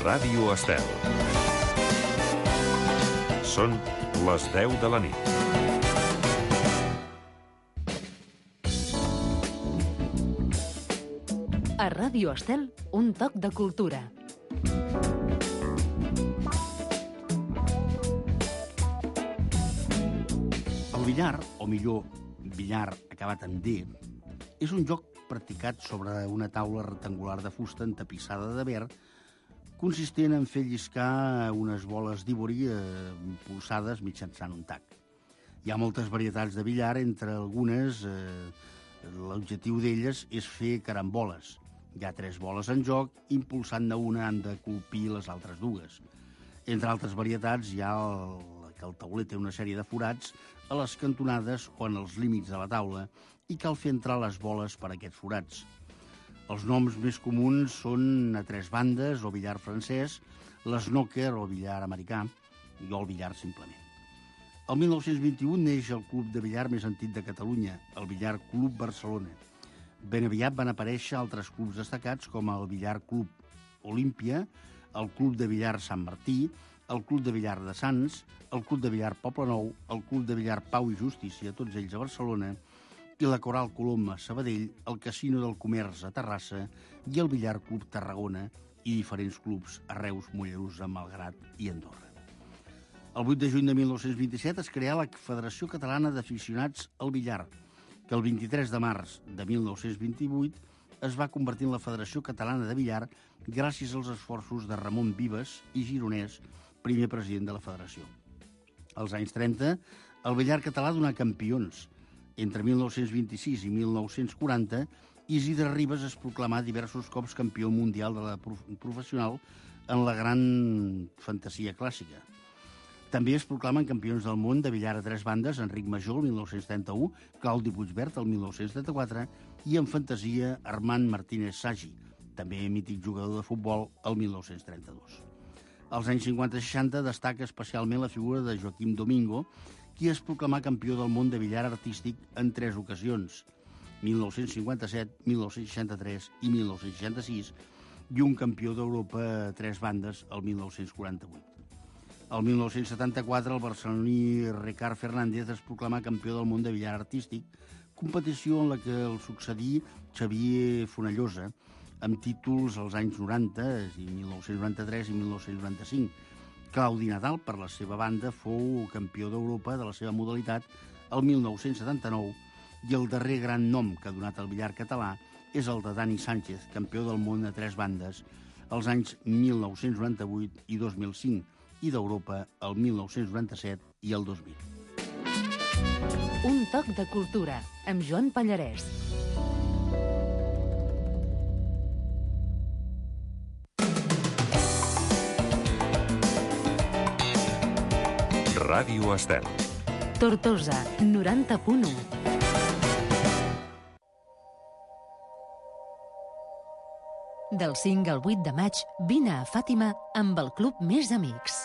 Ràdio Estel. Són les 10 de la nit. A Ràdio Estel, un toc de cultura. El billar, o millor, billar acabat en D, és un joc practicat sobre una taula rectangular de fusta entapissada de verd, consistent en fer lliscar unes boles d'ivori impulsades mitjançant un tac. Hi ha moltes varietats de billar, entre algunes l'objectiu d'elles és fer caramboles. Hi ha 3 boles en joc, impulsant-ne una han de colpir les altres dues. Entre altres varietats hi ha que el tauler té una sèrie de forats a les cantonades o en els límits de la taula i cal fer entrar les boles per aquests forats. Els noms més comuns són a 3 bandes o billar francès, l'snooker o billar americà i el billar simplement. El 1921 neix el club de billar més antic de Catalunya, el Billar Club Barcelona. Ben aviat van aparèixer altres clubs destacats com el Billar Club Olímpia, el Club de Billar Sant Martí, el Club de Billar de Sants, el Club de Billar Poblenou, el Club de Billar Pau i Justícia, tots ells a Barcelona, i la Coral Colom a Sabadell, el Casino del Comerç a Terrassa i el Billar Club Tarragona i diferents clubs a Reus, Mollerussa, Malgrat i Andorra. El 8 de juny de 1927 es creà la Federació Catalana d'Aficionats al Billar, que el 23 de març de 1928 es va convertir en la Federació Catalana de Billar gràcies als esforços de Ramon Vives i Gironès, primer president de la federació. Als anys 30, el billar català donà campions. Entre 1926 i 1940, Isidre Ribes es proclamà diversos cops campió mundial de la professional en la gran fantasia clàssica. També es proclamen campions del món de billar a 3 bandes Enric Major, el 1931, Claudi Puigvert, el 1974, i en fantasia Armand Martínez Sagi, també mític jugador de futbol, el 1932. Als anys 50 i 60 destaca especialment la figura de Joaquim Domingo, qui es proclamà campió del món de billar artístic en 3 ocasions, 1957, 1963 i 1966, i un campió d'Europa a 3 bandes el 1948. El 1974, el barceloní Ricard Fernández es proclamà campió del món de billar artístic, competició en la que el succedí Xavier Fonellosa, amb títols als anys 90, 1993 i 1995. Claudi Nadal, per la seva banda, fou campió d'Europa de la seva modalitat el 1979 i el darrer gran nom que ha donat el billar català és el de Dani Sánchez, campió del món a 3 bandes als anys 1998 i 2005 i d'Europa el 1997 i el 2000. Un toc de cultura amb Joan Pallarès. Ràdio Estel. Tortosa, 90.1. Del 5 al 8 de maig, vine a Fàtima amb el Club Més Amics.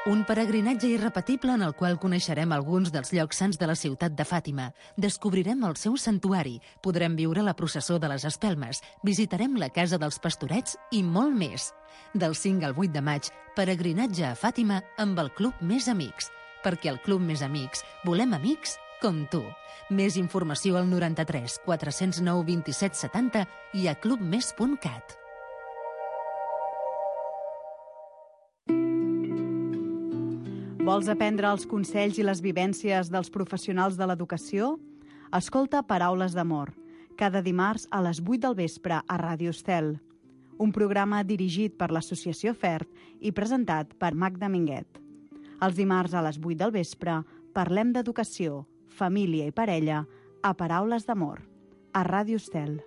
Un peregrinatge irrepetible en el qual coneixerem alguns dels llocs sants de la ciutat de Fàtima. Descobrirem el seu santuari, podrem viure la processó de les espelmes, visitarem la casa dels pastorets i molt més. Del 5 al 8 de maig, peregrinatge a Fàtima amb el Club Més Amics. Perquè al Club Més Amics volem amics com tu. Més informació al 93 409 27 70 i a clubmes.cat. Vols aprendre els consells i les vivències dels professionals de l'educació? Escolta Paraules d'Amor, cada dimarts a les 8 del vespre a Ràdio Estel. Un programa dirigit per l'Associació FERT i presentat per Magda Minguet. Els dimarts a les 8 del vespre parlem d'educació, família i parella a Paraules d'Amor, a Ràdio Estel.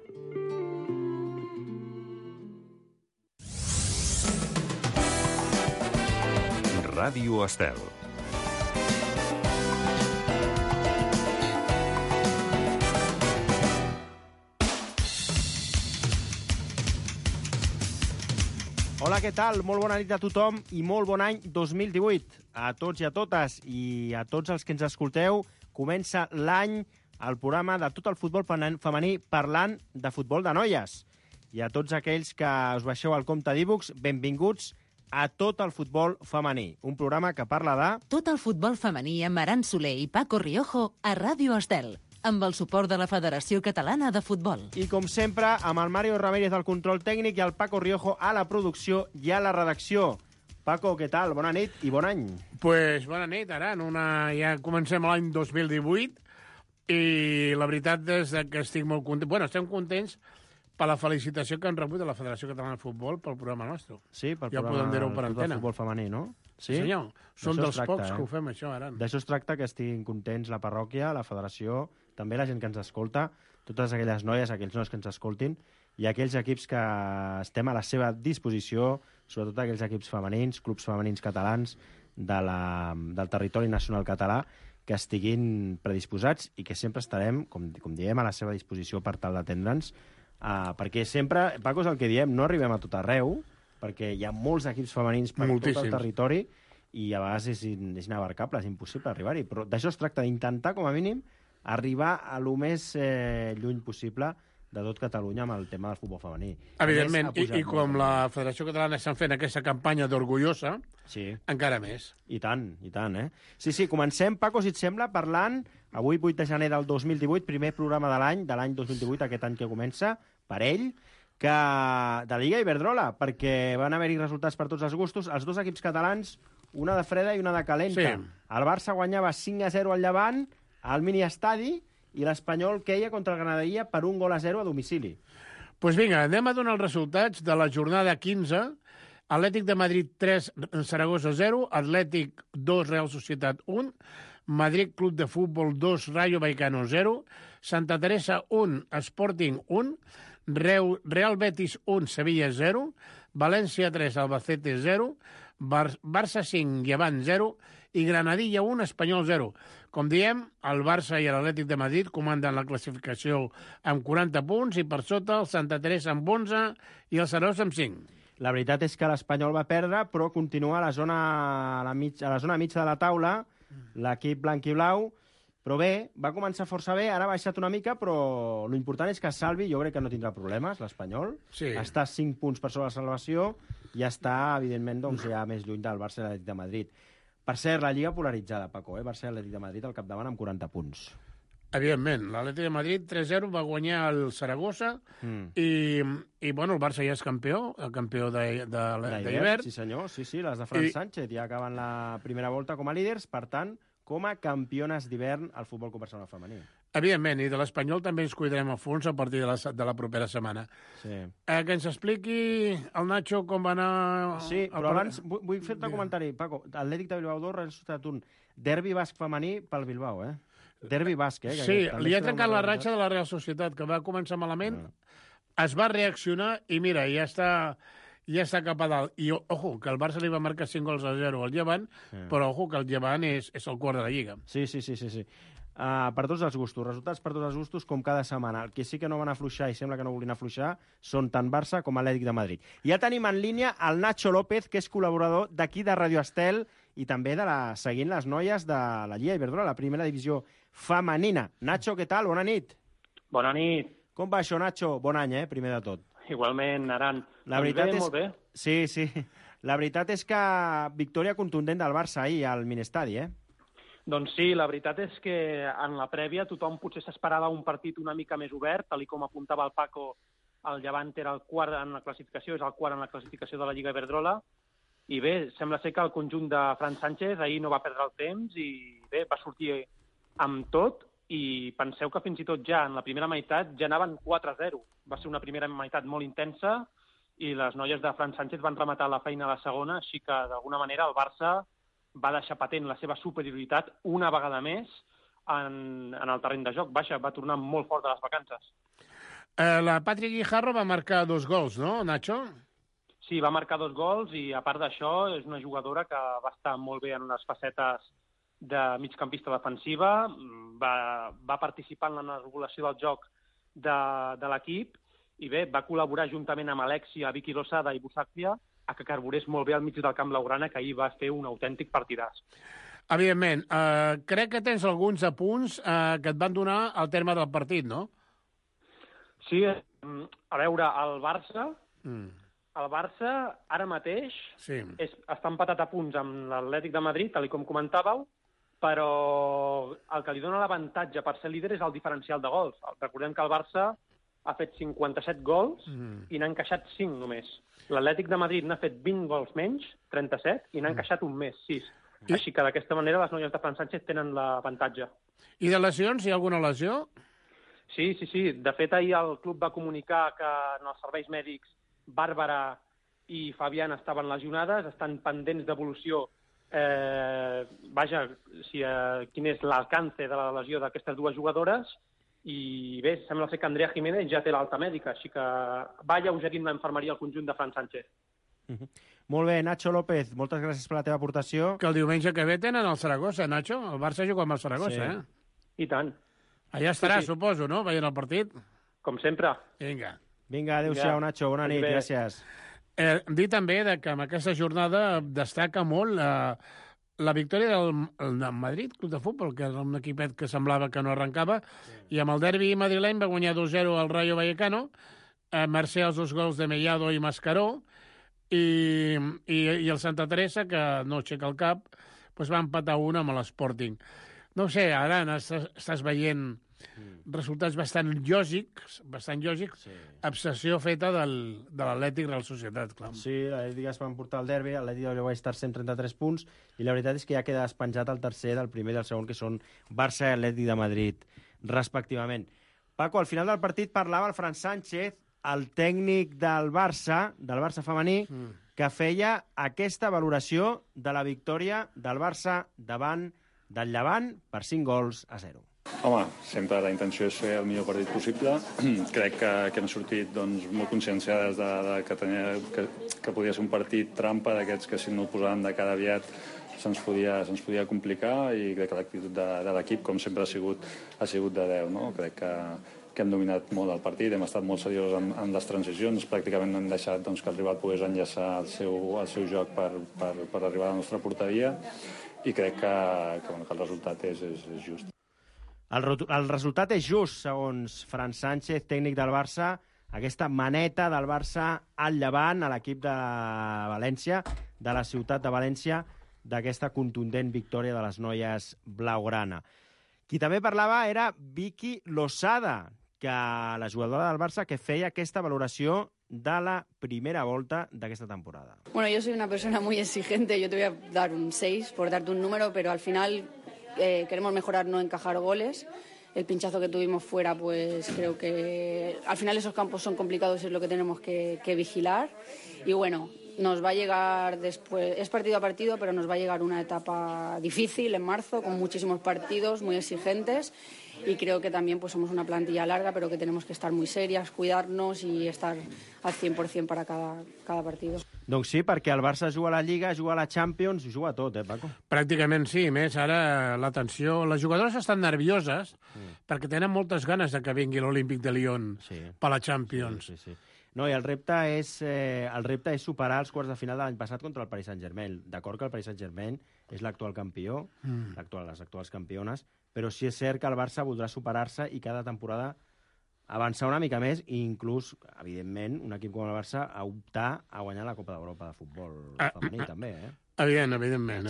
Ràdio Estel. Hola, què tal? Molt bona nit a tothom i molt bon any 2018. A tots i a totes i a tots els que ens escolteu, comença l'any el programa de tot el futbol femení parlant de futbol de noies. I a tots aquells que us baixeu al compte d'e-books, benvinguts a Tot el futbol femení, un programa que parla de... Tot el futbol femení amb Aran Soler i Paco Riojo a Ràdio Estel, amb el suport de la Federació Catalana de Futbol. I com sempre, amb el Mario Ramírez al control tècnic i el Paco Riojo a la producció i a la redacció. Paco, què tal? Bona nit i bon any. Pues bona nit, Aran. Ja comencem l'any 2018 i la veritat és que estic molt content. Bueno, estem contents per la felicitació que han rebut de la Federació Catalana de Futbol pel programa nostre. Sí, pel ja programa podem dir-ho per antena. Futbol femení, no? Sí, senyor. Som dels pocs que ho fem, això, Aran. D'això es tracta, que estiguin contents la parròquia, la federació, també la gent que ens escolta, totes aquelles noies, aquells nois que ens escoltin, i aquells equips que estem a la seva disposició, sobretot aquells equips femenins, clubs femenins catalans del territori nacional català, que estiguin predisposats i que sempre estarem, com diem, a la seva disposició per tal d'atendre'ns, perquè sempre, Paco, és el que diem, no arribem a tot arreu, perquè hi ha molts equips femenins per tot el territori i a vegades és inabarcable, és impossible arribar-hi. Però d'això es tracta, d'intentar, com a mínim, arribar a lo més lluny possible de tot Catalunya amb el tema del futbol femení. Evidentment, i com la Federació Catalana estan fent aquesta campanya d'orgullosa, sí, encara més. I tant, eh? Sí, comencem, Paco, si et sembla, parlant, avui 8 de gener del 2018, primer programa de l'any 2018, aquest any que comença, per ell, que de Lliga Iberdrola, perquè van haver-hi resultats per tots els gustos. Els dos equips catalans, una de freda i una de calenta. Sí. El Barça guanyava 5-0 al Llevant, al mini-estadi, i l'Espanyol queia contra el Granadilla per 1-0 a domicili. Doncs pues vinga, anem a donar els resultats de la jornada 15. Atlètic de Madrid 3, Saragossa 0, Atlètic 2, Real Societat 1, Madrid Club de Futbol 2, Rayo Vallecano 0, Santa Teresa 1, Sporting 1, Real Betis 1, Sevilla 0, València 3, Albacete 0, Barça 5, Llevant 0 i Granadilla 1, Espanyol 0. Com diem, el Barça i l'Atlètic de Madrid comanden la classificació amb 40 punts i per sota el Santa Teresa amb 11 i el Saragossa amb 5. La veritat és que l'Espanyol va perdre, però continua a la zona mitja de la taula, l'equip blanc i blau, però bé, va començar força bé, ara ha baixat una mica, però l'important és que salvi, jo crec que no tindrà problemes, l'Espanyol. Sí. Està 5 punts per sobre la salvació i està, evidentment, ja més lluny del Barça i l'Atlètic de Madrid. Per cert, la Lliga polaritzada, Paco, Barça i l'Atlètic de Madrid al capdavant amb 40 punts. Evidentment, l'Atlètic de Madrid 3-0 va guanyar el Saragossa i bueno, el Barça ja és campió, el campió d'hivern. Sí, senyor, sí, les de Fran Sánchez ja acaben la primera volta com a líders, per tant, com a campiones d'hivern al futbol professional femení. Evidentment, i de l'Espanyol també ens cuidarem a fons a partir de la propera setmana. Sí. Que ens expliqui el Nacho com va anar... Sí, però abans vull fer-te un comentari, Paco. Atlètic de Bilbao 2, Real Societat 1. Derbi basc femení pel Bilbao, Derbi basc, Sí, li ha trencat la ratxa de la Real Societat, que va començar malament, es va reaccionar i mira, ja està cap a dalt. I, ojo, que el Barça li va marcar 5-0 al Llevant, però, ojo, que el Llevant és el quart de la Lliga. Sí. Per tots els gustos, resultats per tots els gustos, com cada setmana. El que sí que no van afluixar i sembla que no volien afluixar són tant Barça com Atlètic de Madrid. Ja tenim en línia el Nacho López, que és col·laborador d'aquí de Radio Estel i també seguint les noies de la Lliga Iberdrola, la primera divisió femenina. Nacho, què tal? Bona nit. Bona nit. Com va això, Nacho? Bon any, primer de tot. Igualment, Aran. La veritat és... Molt bé. Sí. La veritat és que victòria contundent del Barça ahir al Minestadi, Doncs sí, la veritat és que en la prèvia tothom potser s'esperava un partit una mica més obert, tal com apuntava el Paco, el Llevant era el quart en la classificació, és el quart en la classificació de la Lliga Iberdrola, i bé, sembla ser que el conjunt de Fran Sánchez ahir no va perdre el temps i bé, va sortir amb tot i penseu que fins i tot ja en la primera meitat ja anaven 4-0. Va ser una primera meitat molt intensa i les noies de Fran Sánchez van rematar la feina a la segona, així que d'alguna manera el Barça va deixar patent la seva superioritat una vegada més en el terreny de joc. Va tornar molt fort de les vacances. La Patri Guijarro va marcar 2 gols, no, Nacho? Sí, va marcar 2 gols i, a part d'això, és una jugadora que va estar molt bé en les facetes de migcampista defensiva, va participar en la regulació del joc de l'equip i bé, va col·laborar juntament amb Alexia, Vicky Losada i Busaclia a que carburés molt bé al mig del camp blaugrana, que ahir va fer un autèntic partidàs. Evidentment. Crec que tens alguns apunts que et van donar al terme del partit, no? Sí, a veure, el Barça ara mateix està empatat a punts amb l'Atlètic de Madrid, tal com comentàveu, però el que li dona l'avantatge per ser líder és el diferencial de gols. Recordem que el Barça ha fet 57 gols i n'ha encaixat 5 només. L'Atlètic de Madrid n'ha fet 20 gols menys, 37, i n'ha encaixat un més, 6. Així que d'aquesta manera les noies de Fran Sánchez tenen l'avantatge. I de lesions, hi ha alguna lesió? Sí. De fet, ahir el club va comunicar que en els serveis mèdics Bàrbara i Fabián estaven lesionades, estan pendents d'evolució quin és l'alcance de la lesió d'aquestes dues jugadores, i bé, sembla ser que Andrea Jiménez ja té l'alta mèdica, així que va alleugerint l'infermeria al conjunt de Fran Sánchez. Molt bé, Nacho López, moltes gràcies per la teva aportació. Que el diumenge que ve tenen el Saragossa, Nacho. El Barça juga amb el Saragossa, I tant. Allà estarà, suposo, no?, veient el partit. Com sempre. Vinga, adéu-siau, Nacho, bona nit, gràcies. Dir també que en aquesta jornada destaca molt la victòria del Madrid Club de Futbol, que era un equipet que semblava que no arrencava, i amb el derbi madrileny va guanyar 2-0 al Rayo Vallecano, mercè als 2 gols de Mellado i Mascaró, i el Santa Teresa, que no aixeca el cap, va empatar 1 amb l'Sporting. No ho sé, ara estàs veient resultats bastant lògics, obsessió feta de l'Atlètic Real Societat, clar. Sí, l'Atlètic es va emportar el derbi, l'Atlètic va estar 133 punts, i la veritat és que ja queda despenjat el tercer del primer i del segon, que són Barça i Atlètic de Madrid, respectivament. Paco, al final del partit parlava el Fran Sánchez, el tècnic del Barça femení, que feia aquesta valoració de la victòria del Barça davant del Llevant per 5-0. Home, sempre la intenció és fer el millor partit possible. Crec que hem sortit molt conscienciades que podia ser un partit trampa d'aquests que si no el posàvem de cara aviat se'ns podia complicar, i crec que l'actitud de l'equip, com sempre, ha sigut de 10. No? Crec que hem dominat molt el partit, hem estat molt seriosos en les transicions, pràcticament no hem deixat que el rival pogués enllaçar el seu joc per arribar a la nostra porteria, i crec que el resultat és just. El resultat és just, segons Fran Sánchez, tècnic del Barça, aquesta maneta del Barça al Llevant, a l'equip de València, de la ciutat de València, d'aquesta contundent victòria de les noies blaugrana. Qui també parlava era Vicky Losada, que la jugadora del Barça, que feia aquesta valoració de la primera volta d'aquesta temporada. Bueno, yo soy una persona muy exigente, yo te voy a dar un 6 por darte un número, pero al final queremos mejorar, no encajar goles. El pinchazo que tuvimos fuera, pues creo que al final esos campos son complicados y es lo que tenemos que vigilar. Y bueno, nos va a llegar después, es partido a partido, pero nos va a llegar una etapa difícil en marzo, con muchísimos partidos muy exigentes. Y creo que también pues somos una plantilla larga, pero que tenemos que estar muy serias, cuidarnos y estar al 100% para cada partido. Doncs sí, perquè el Barça juga a la Lliga, juga a la Champions, juga a tot, Paco? Pràcticament sí, més ara l'atenció... Les jugadores estan nervioses perquè tenen moltes ganes de que vingui l'Olímpic de Lyon per la Champions. Sí. No, i el repte és superar els quarts de final de l'any passat contra el Paris Saint-Germain. D'acord que el Paris Saint-Germain és l'actual campió, les actuals campiones, però sí és cert que el Barça voldrà superar-se i cada temporada avançar una mica més, i inclús, evidentment, un equip com el Barça a optar a guanyar la Copa d'Europa de futbol femení, també, Evidentment.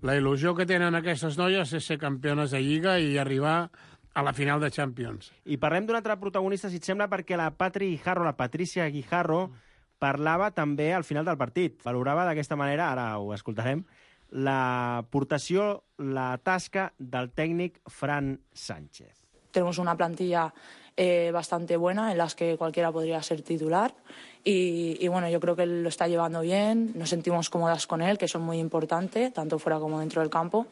La il·lusió que tenen aquestes noies és ser campiones de Lliga i arribar a la final de Champions. I parlem d'un altre protagonista, si et sembla, perquè la Patricia Guijarro, parlava també al final del partit. Valorava d'aquesta manera, ara ho escoltarem, l'aportació, la tasca del tècnic Fran Sánchez. Tenemos una plantilla bastante buena en las que cualquiera podría ser titular y bueno, yo creo que él lo está llevando bien, nos sentimos cómodas con él, que eso es muy importante, tanto fuera como dentro del campo.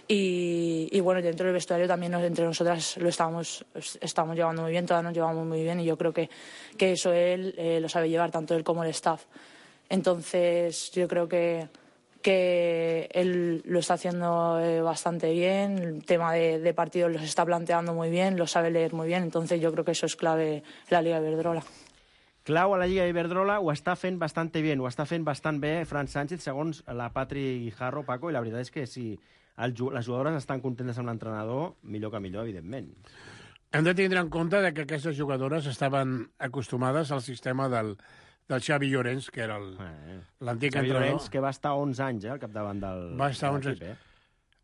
Y bueno, dentro del vestuario también entre nosotras lo estamos llevando muy bien, todas nos llevamos muy bien, y yo creo que eso él lo sabe llevar, tanto él como el staff. Entonces yo creo que él lo está haciendo bastante bien, el tema de partidos los está planteando muy bien, lo sabe leer muy bien, entonces yo creo que eso es clave en la Liga Iberdrola. Clau a la Lliga Iberdrola, ho està fent bastant bé Fran Sánchez, segons la Patri Guijarro, Paco, i la veritat és que si les jugadores estan contentes amb l'entrenador, millor que millor, evidentment. Hem de tindre en compte que aquestes jugadores estaven acostumades al sistema del Xavi Llorens, que era l'antic entrenador. Xavi Llorens, que va estar 11 anys al capdavant del va estar 11 anys.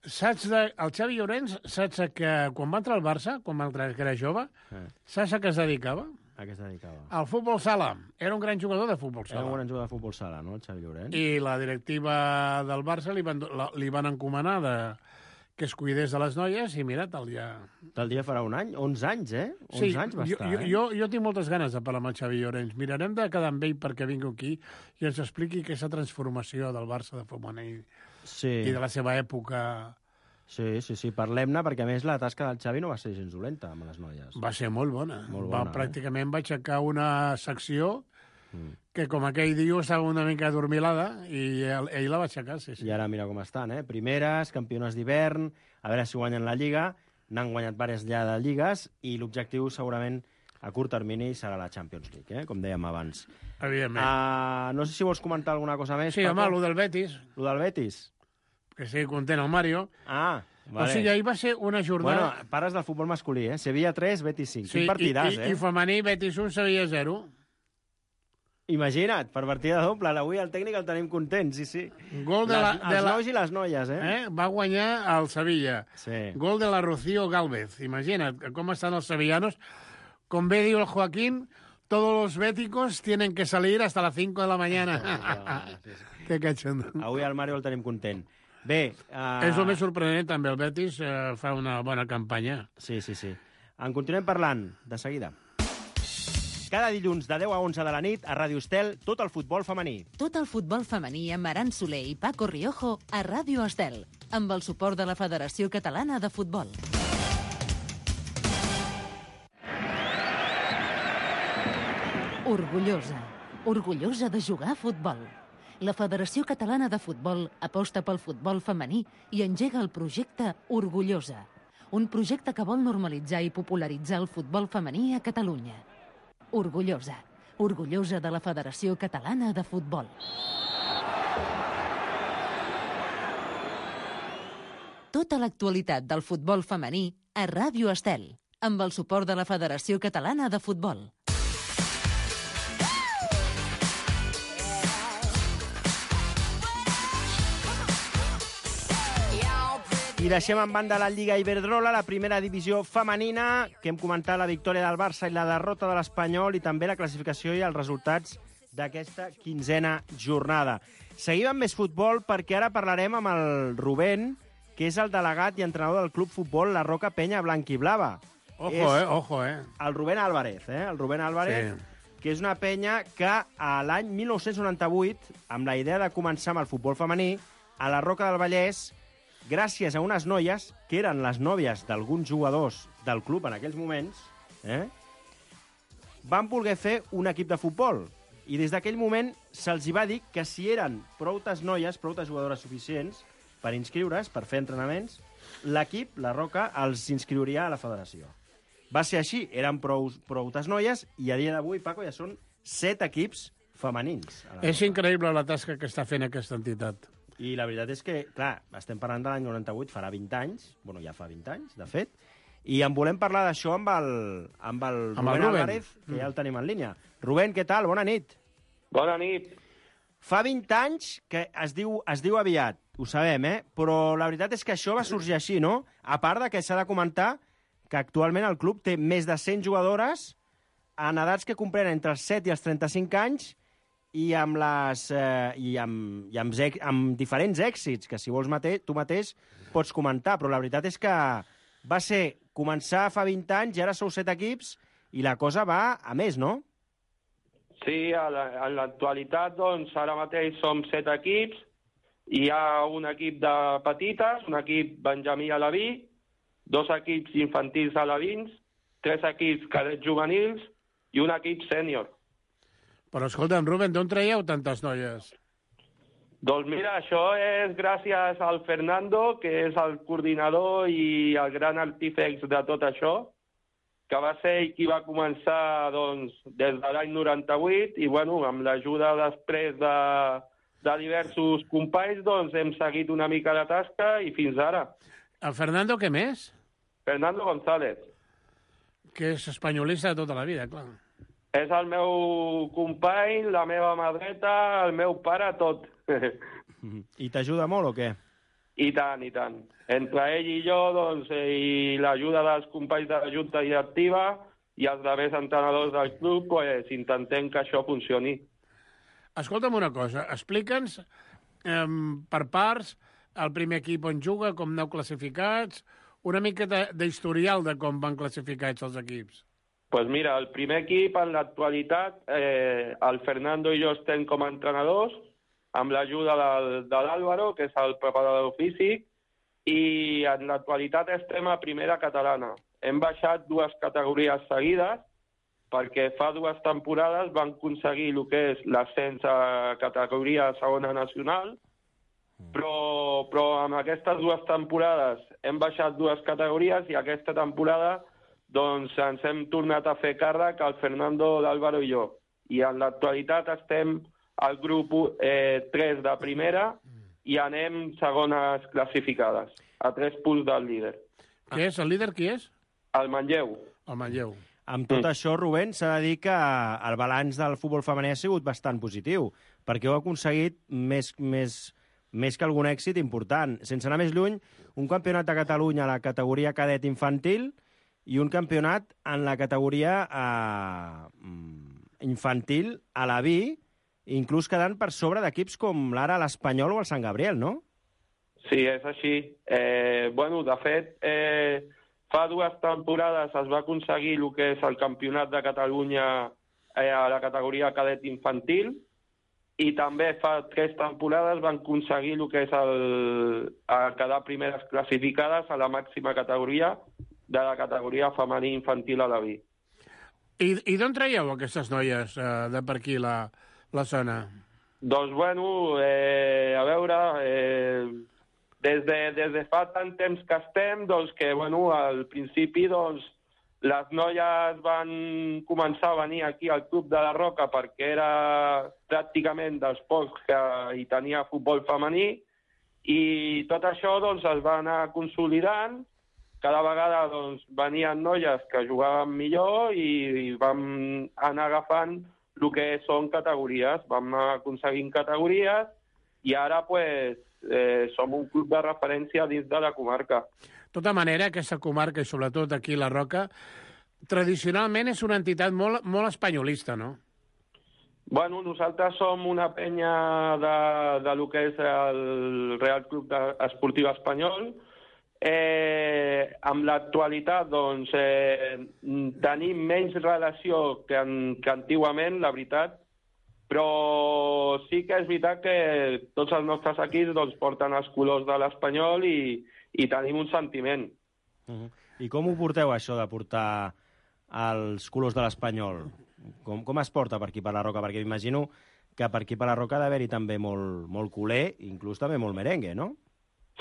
El Xavi Llorens, saps que quan va entrar al Barça, que era jove, saps a què es dedicava? A què es dedicava? Al futbol sala. Era un gran jugador de futbol sala. Era un gran jugador de futbol sala, no, el Xavi Llorens? I la directiva del Barça li van encomanar que es cuidés de les noies i mira, tal dia farà un any? 11 anys, eh? 11 anys va estar, eh? Jo tinc moltes ganes de parlar amb el Xavi Llorens. Mirarem de quedar amb ell perquè vingui aquí i ens expliqui aquesta transformació del Barça de femení i de la seva època. Sí, parlem-ne, perquè a més la tasca del Xavi no va ser gens dolenta amb les noies. Va ser molt bona. Pràcticament va aixecar una secció que, com aquell diu, estava una mica adormilada i ell la va aixecar, sí. I ara mira com estan, primeres, campiones d'hivern, a veure si guanyen la Lliga, n'han guanyat diverses ja de lligues i l'objectiu segurament a curt termini serà la Champions League, com dèiem abans. Evidentment. No sé si vols comentar alguna cosa més, Sí, Paco. home, lo del Betis. Lo del Betis? Que sigui content el Mario. Vale. O sigui, ahir va ser una jornada... Bueno, pares del futbol masculí, Sevilla 3, Betis 5. Quin partidàs, I femení, Betis 1, Sevilla 0. Imagina't, per partida doble. Avui el tècnic el tenim content, sí. Gol els nois i les noies, Va guanyar el Sevilla. Sí. Gol de la Rocío Gálvez. Imagina't com estan els sevillanos. Com bé diu el Joaquín, todos los béticos tienen que salir hasta las 5 de la mañana. Que cachondo. Avui el Mario el tenim content. Bé... És el més sorprenent, també. El Betis fa una bona campanya. Sí. En continuem parlant, de seguida. Cada dilluns de 10 a 11 de la nit a Ràdio Estel, tot el futbol femení. Tot el futbol femení amb Aran Soler i Paco Riojo a Ràdio Estel, amb el suport de la Federació Catalana de Futbol. Orgullosa de jugar a futbol. La Federació Catalana de Futbol aposta pel futbol femení i engega el projecte Orgullosa, un projecte que vol normalitzar i popularitzar el futbol femení a Catalunya. Orgullosa de la Federació Catalana de Futbol. Tota l'actualitat del futbol femení a Ràdio Estel, amb el suport de la Federació Catalana de Futbol. I deixem en banda la Lliga Iberdrola, la primera divisió femenina, que hem comentat la victòria del Barça i la derrota de l'Espanyol, i també la classificació i els resultats d'aquesta 15a jornada. Seguim amb més futbol perquè ara parlarem amb el Rubén, que és el delegat i entrenador del club futbol La Roca Penya Blanquiblava. Ojo. El Rubén Álvarez, que és una penya que a l'any 1998, amb la idea de començar amb el futbol femení, a la Roca del Vallès, gràcies a unes noies, que eren les nòvies d'alguns jugadors del club en aquells moments, van voler fer un equip de futbol. I des d'aquell moment se'ls va dir que si eren proutes noies, proutes jugadores suficients per inscriure's, per fer entrenaments, l'equip, la Roca, els inscriuria a la federació. Va ser així, eren proutes noies, i a dia d'avui, Paco, ja són 7 equips femenins. És increïble la tasca que està fent aquesta entitat. I la veritat és que, clar, estem parlant de l'any 98, farà 20 anys, bueno, ja fa 20 anys, de fet, i en volem parlar d'això amb el Rubén Álvarez, que ja el tenim en línia. Rubén, què tal? Bona nit. Bona nit. Fa 20 anys que es diu aviat, ho sabem, però la veritat és que això va sorgir així, no? A part de que s'ha de comentar que actualment el club té més de 100 jugadores en edats que comprenen entre els 7 i els 35 anys, i amb diferents èxits, que si vols tu mateix pots comentar, però la veritat és que va ser començar fa 20 anys i ara sou 7 equips i la cosa va a més, no? Sí, en l'actualitat, doncs, ara mateix som 7 equips, hi ha un equip de petites, un equip benjamí aleví, 2 equips infantils alevins, 3 equips cadets juvenils i un equip sènior. Però escolta'm, Rubén, d'on traieu tantes noies? Doncs mira, això és gràcies al Fernando, que és el coordinador i el gran artífex de tot això, que va ser ell qui va començar doncs, des de l'any 98 i bueno, amb l'ajuda després de diversos companys doncs, hem seguit una mica la tasca i fins ara. El Fernando, què més? Fernando González. Que és espanyolista de tota la vida, clar. És el meu company, la meva mà dreta, el meu pare, tot. I t'ajuda molt o què? I tant, i tant. Entre ell i jo, doncs, i l'ajuda dels companys de la Junta Directiva i els darrers entrenadors del club, pues, intentem que això funcioni. Escolta'm una cosa, explica'ns per parts el primer equip on juga, com aneu classificats, una mica d'historial de com van classificats els equips. Pues mira, el primer equip, en l'actualitat, el Fernando i jo estem com a entrenadors, amb l'ajuda de l'Àlvaro, que és el preparador físic, i en l'actualitat estem a primera catalana. Hem baixat 2 categories seguides, perquè fa 2 temporades van aconseguir el que és l'ascens a categoria segona nacional, però amb aquestes 2 temporades hem baixat 2 categories i aquesta temporada doncs ens hem tornat a fer càrrec el Fernando, l'Àlvaro i jo. I en l'actualitat estem al grup 3 de primera i anem segones classificades, a 3 punts del líder. Què és? El líder qui és? El Manlleu. El Manlleu. Amb tot això, Rubén, s'ha de dir que el balanç del futbol femení ha sigut bastant positiu, perquè heu aconseguit més que algun èxit important. Sense anar més lluny, un campionat de Catalunya a la categoria cadet infantil i un campionat en la categoria infantil a la B, inclús quedant per sobre d'equips com l'ara l'Espanyol o el Sant Gabriel, no? Sí, és així. De fet, fa 2 temporades es va aconseguir el que és el campionat de Catalunya a la categoria cadet infantil i també fa 3 temporades van aconseguir el que és quedar primeres classificades a la màxima categoria de la categoria femení infantil a la B. I d'on traieu aquestes noies de per aquí, la zona? Doncs, a veure, des de fa tant temps que estem, doncs que, al principi, doncs, les noies van començar a venir aquí al Club de la Roca perquè era pràcticament dels pocs que hi tenia futbol femení i tot això, doncs, es va anar consolidant. Cada vegada doncs, venien noies que jugaven millor i vam anar agafant el que són categories. Vam anar aconseguint categories i ara som un club de referència dins de la comarca. De tota manera, aquesta comarca, i sobretot aquí la Roca, tradicionalment és una entitat molt espanyolista, no? Nosaltres som una penya de lo que és el Real Club Esportiu Espanyol. Amb l'actualitat doncs, tenim menys relació que antigament, la veritat, però sí que és veritat que tots els nostres equips doncs, porten els colors de l'Espanyol i tenim un sentiment. I com ho porteu, això de portar els colors de l'Espanyol? Com es porta per aquí per la Roca? Perquè m'imagino que per aquí per la Roca ha d'haver-hi també molt culer, inclús també molt merengue, no?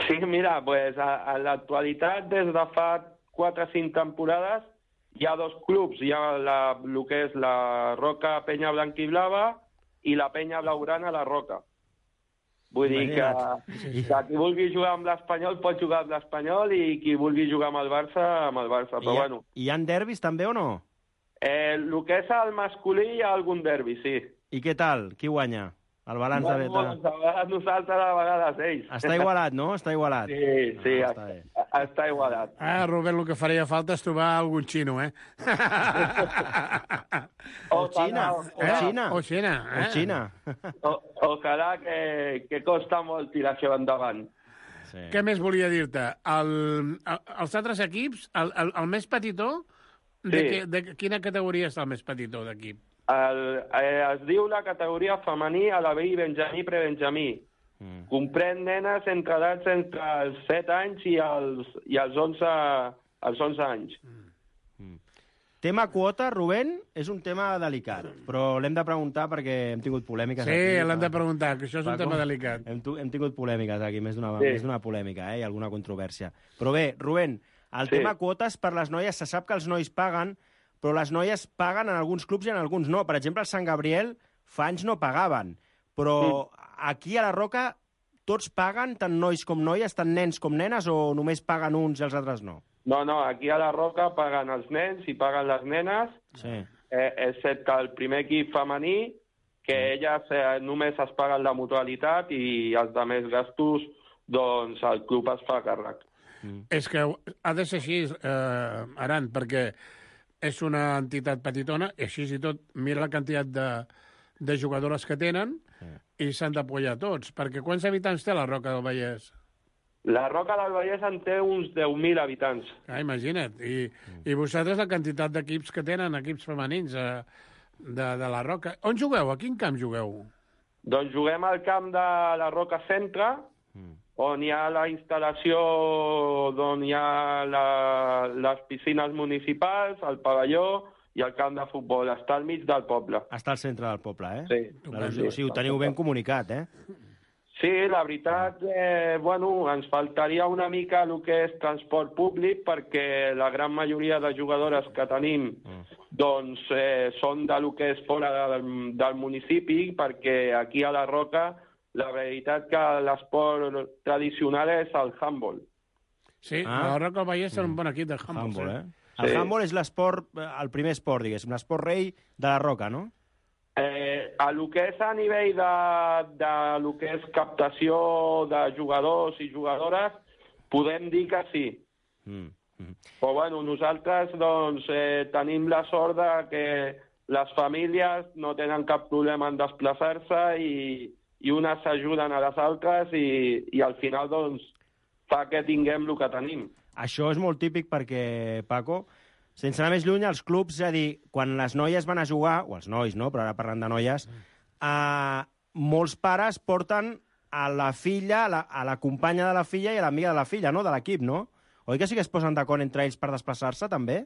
Sí, mira, en l'actualitat, des de fa 4 o 5 temporades, hi ha 2 clubs. Hi ha el que és la Roca Penya Blanquiblava i la Penya Blaugrana La Roca. Vull dir que qui vulgui jugar amb l'Espanyol pot jugar amb l'Espanyol i qui vulgui jugar amb el Barça, però Hi ha derbis també o no? El que és el masculí hi ha algun derbi, sí. I què tal? Qui guanya? El balanç de beta. A vegades nosaltres, a vegades ells. Està igualat, no? Està igualat. Sí, està igualat. Rubén, el que faria falta és trobar algun xino, O Xina. O Xina. Ojalà que costa molt tirar això endavant. Sí. Què més volia dir-te? Els altres equips, el més petitó, de quina categoria és el més petitó d'equip? Es diu la categoria femení a la B i Benjamí prebenjamí. Comprèn nenes edats entre els 7 anys i els 11 anys. Tema quota, Rubén, és un tema delicat, però l'hem de preguntar perquè hem tingut polèmiques aquí. Sí, l'hem de preguntar, que això és un tema delicat. Hem tingut polèmiques aquí, més d'una polèmica, i alguna controvèrsia. Però bé, Rubén, El tema quotes per les noies, se sap que els nois paguen, però les noies paguen en alguns clubs i en alguns no. Per exemple, el Sant Gabriel fa anys no pagaven, però aquí a la Roca tots paguen, tant nois com noies, tant nens com nenes, o només paguen uns i els altres no? No, aquí a la Roca paguen els nens i paguen les nenes, excepte el primer equip femení, que elles només es paguen la mutualitat i els altres gastos, doncs el club es fa càrrec. És que ha de ser així, Aran, perquè és una entitat petitona, i així i tot, mira la quantitat de jugadores que tenen i s'han d'apoyar tots. Perquè quants habitants té la Roca del Vallès? La Roca del Vallès en té uns 10.000 habitants. Imagina't. I vosaltres la quantitat d'equips que tenen, equips femenins de la Roca. On jugueu? A quin camp jugueu? Doncs juguem al camp de la Roca Centre, on hi ha la instal·lació, on hi ha les piscines municipals, el pavelló i el camp de futbol. Està al mig del poble. Està al centre del poble, eh? Sí. Sí, ho teniu ben comunicat, eh? Sí, la veritat, ens faltaria una mica el que és transport públic, perquè la gran majoria de jugadores que tenim doncs, són de lo que és fora del municipi, perquè aquí a la Roca la veritat que l'esport tradicional és el handball. Sí, a la Roca del Vallès és un bon equip de handball. El handball és l'esport, el primer esport, diguéssim, l'esport rei de la Roca, no? A lo que és a nivell de lo que és captació de jugadors i jugadores, podem dir que sí. Però bueno, nosaltres doncs, tenim la sort de que les famílies no tenen cap problema en desplaçar-se i unes s'ajuden a les altres i al final doncs, fa que tinguem el que tenim. Això és molt típic perquè, Paco, sense anar més lluny, els clubs, és a dir, quan les noies van a jugar, o els nois, no?, però ara parlant de noies, molts pares porten a la filla, a la companya de la filla i a l'amiga de la filla, no?, de l'equip, no? Oi que sí que es posen d'acord entre ells per desplaçar-se, també?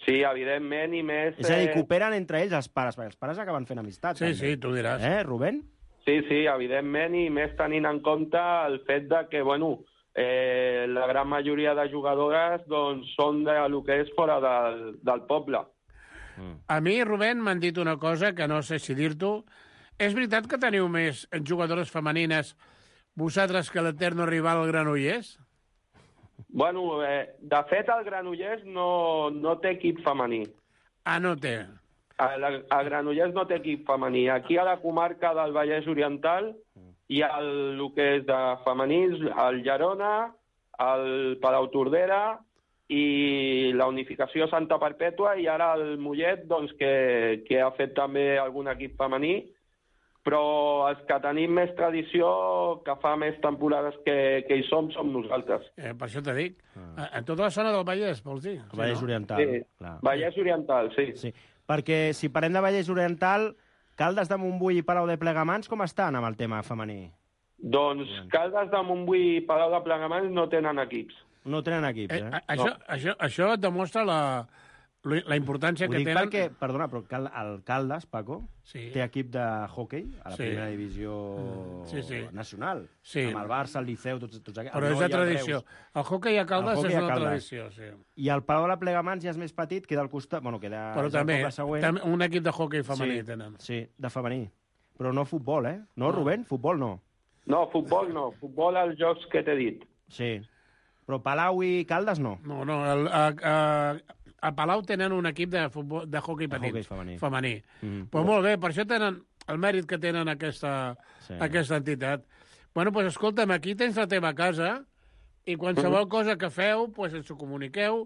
Sí, evidentment, i més... És a dir, cooperen entre ells els pares, perquè els pares acaben fent amistat. Sí, també. Sí, tu diràs. Rubén? Sí, evidentment, i més tenint en compte el fet de que, la gran majoria de jugadores doncs, són de lo que és fora del poble. A mi, Rubén, m'han dit una cosa que no sé si dir-t'ho. És veritat que teniu més jugadores femenines vosaltres que l'eterno rival el Granollers? De fet, el Granollers no té equip femení. No té. El Granollers no té equip femení. Aquí a la comarca del Vallès Oriental hi ha el que és de femenins, el Llerona, el Palau Tordera i la Unificació Santa Perpètua, i ara el Mollet, doncs, que ha fet també algun equip femení, però els que tenim més tradició, que fa més temporades que hi som nosaltres. Per això t'he dit. En tota la zona del Vallès, vols dir? El Vallès Oriental. Sí, Vallès Oriental, sí. Perquè si parlem de Vallès Oriental, Caldes de Montbui i Palau de Plegamans, com estan amb el tema femení? Doncs Caldes de Montbui i Palau de Plegamans no tenen equips. No tenen equips, Això et demostra la importància que tenen... Ho dic perquè, perdona, però el Caldes, Paco, té equip de hoquei a la primera divisió nacional. Amb el Barça, el Liceu, tots aquests. Però és de tradició. El hoquei a Caldes és una tradició, sí. I el Palau de Plegamans ja és més petit, queda al costat... queda... Però també un equip de hoquei femení tenen. Sí, de femení. Però no futbol, No, Rubén? Futbol no. No, futbol no. Futbol als jocs que t'he dit. Sí. Però Palau i Caldes no. No, a Palau tenen un equip de hoquei petit, femení. Però molt bé, per això tenen el mèrit que tenen aquesta entitat. Doncs escolta'm, aquí tens la teva casa i qualsevol cosa que feu, ens ho comuniqueu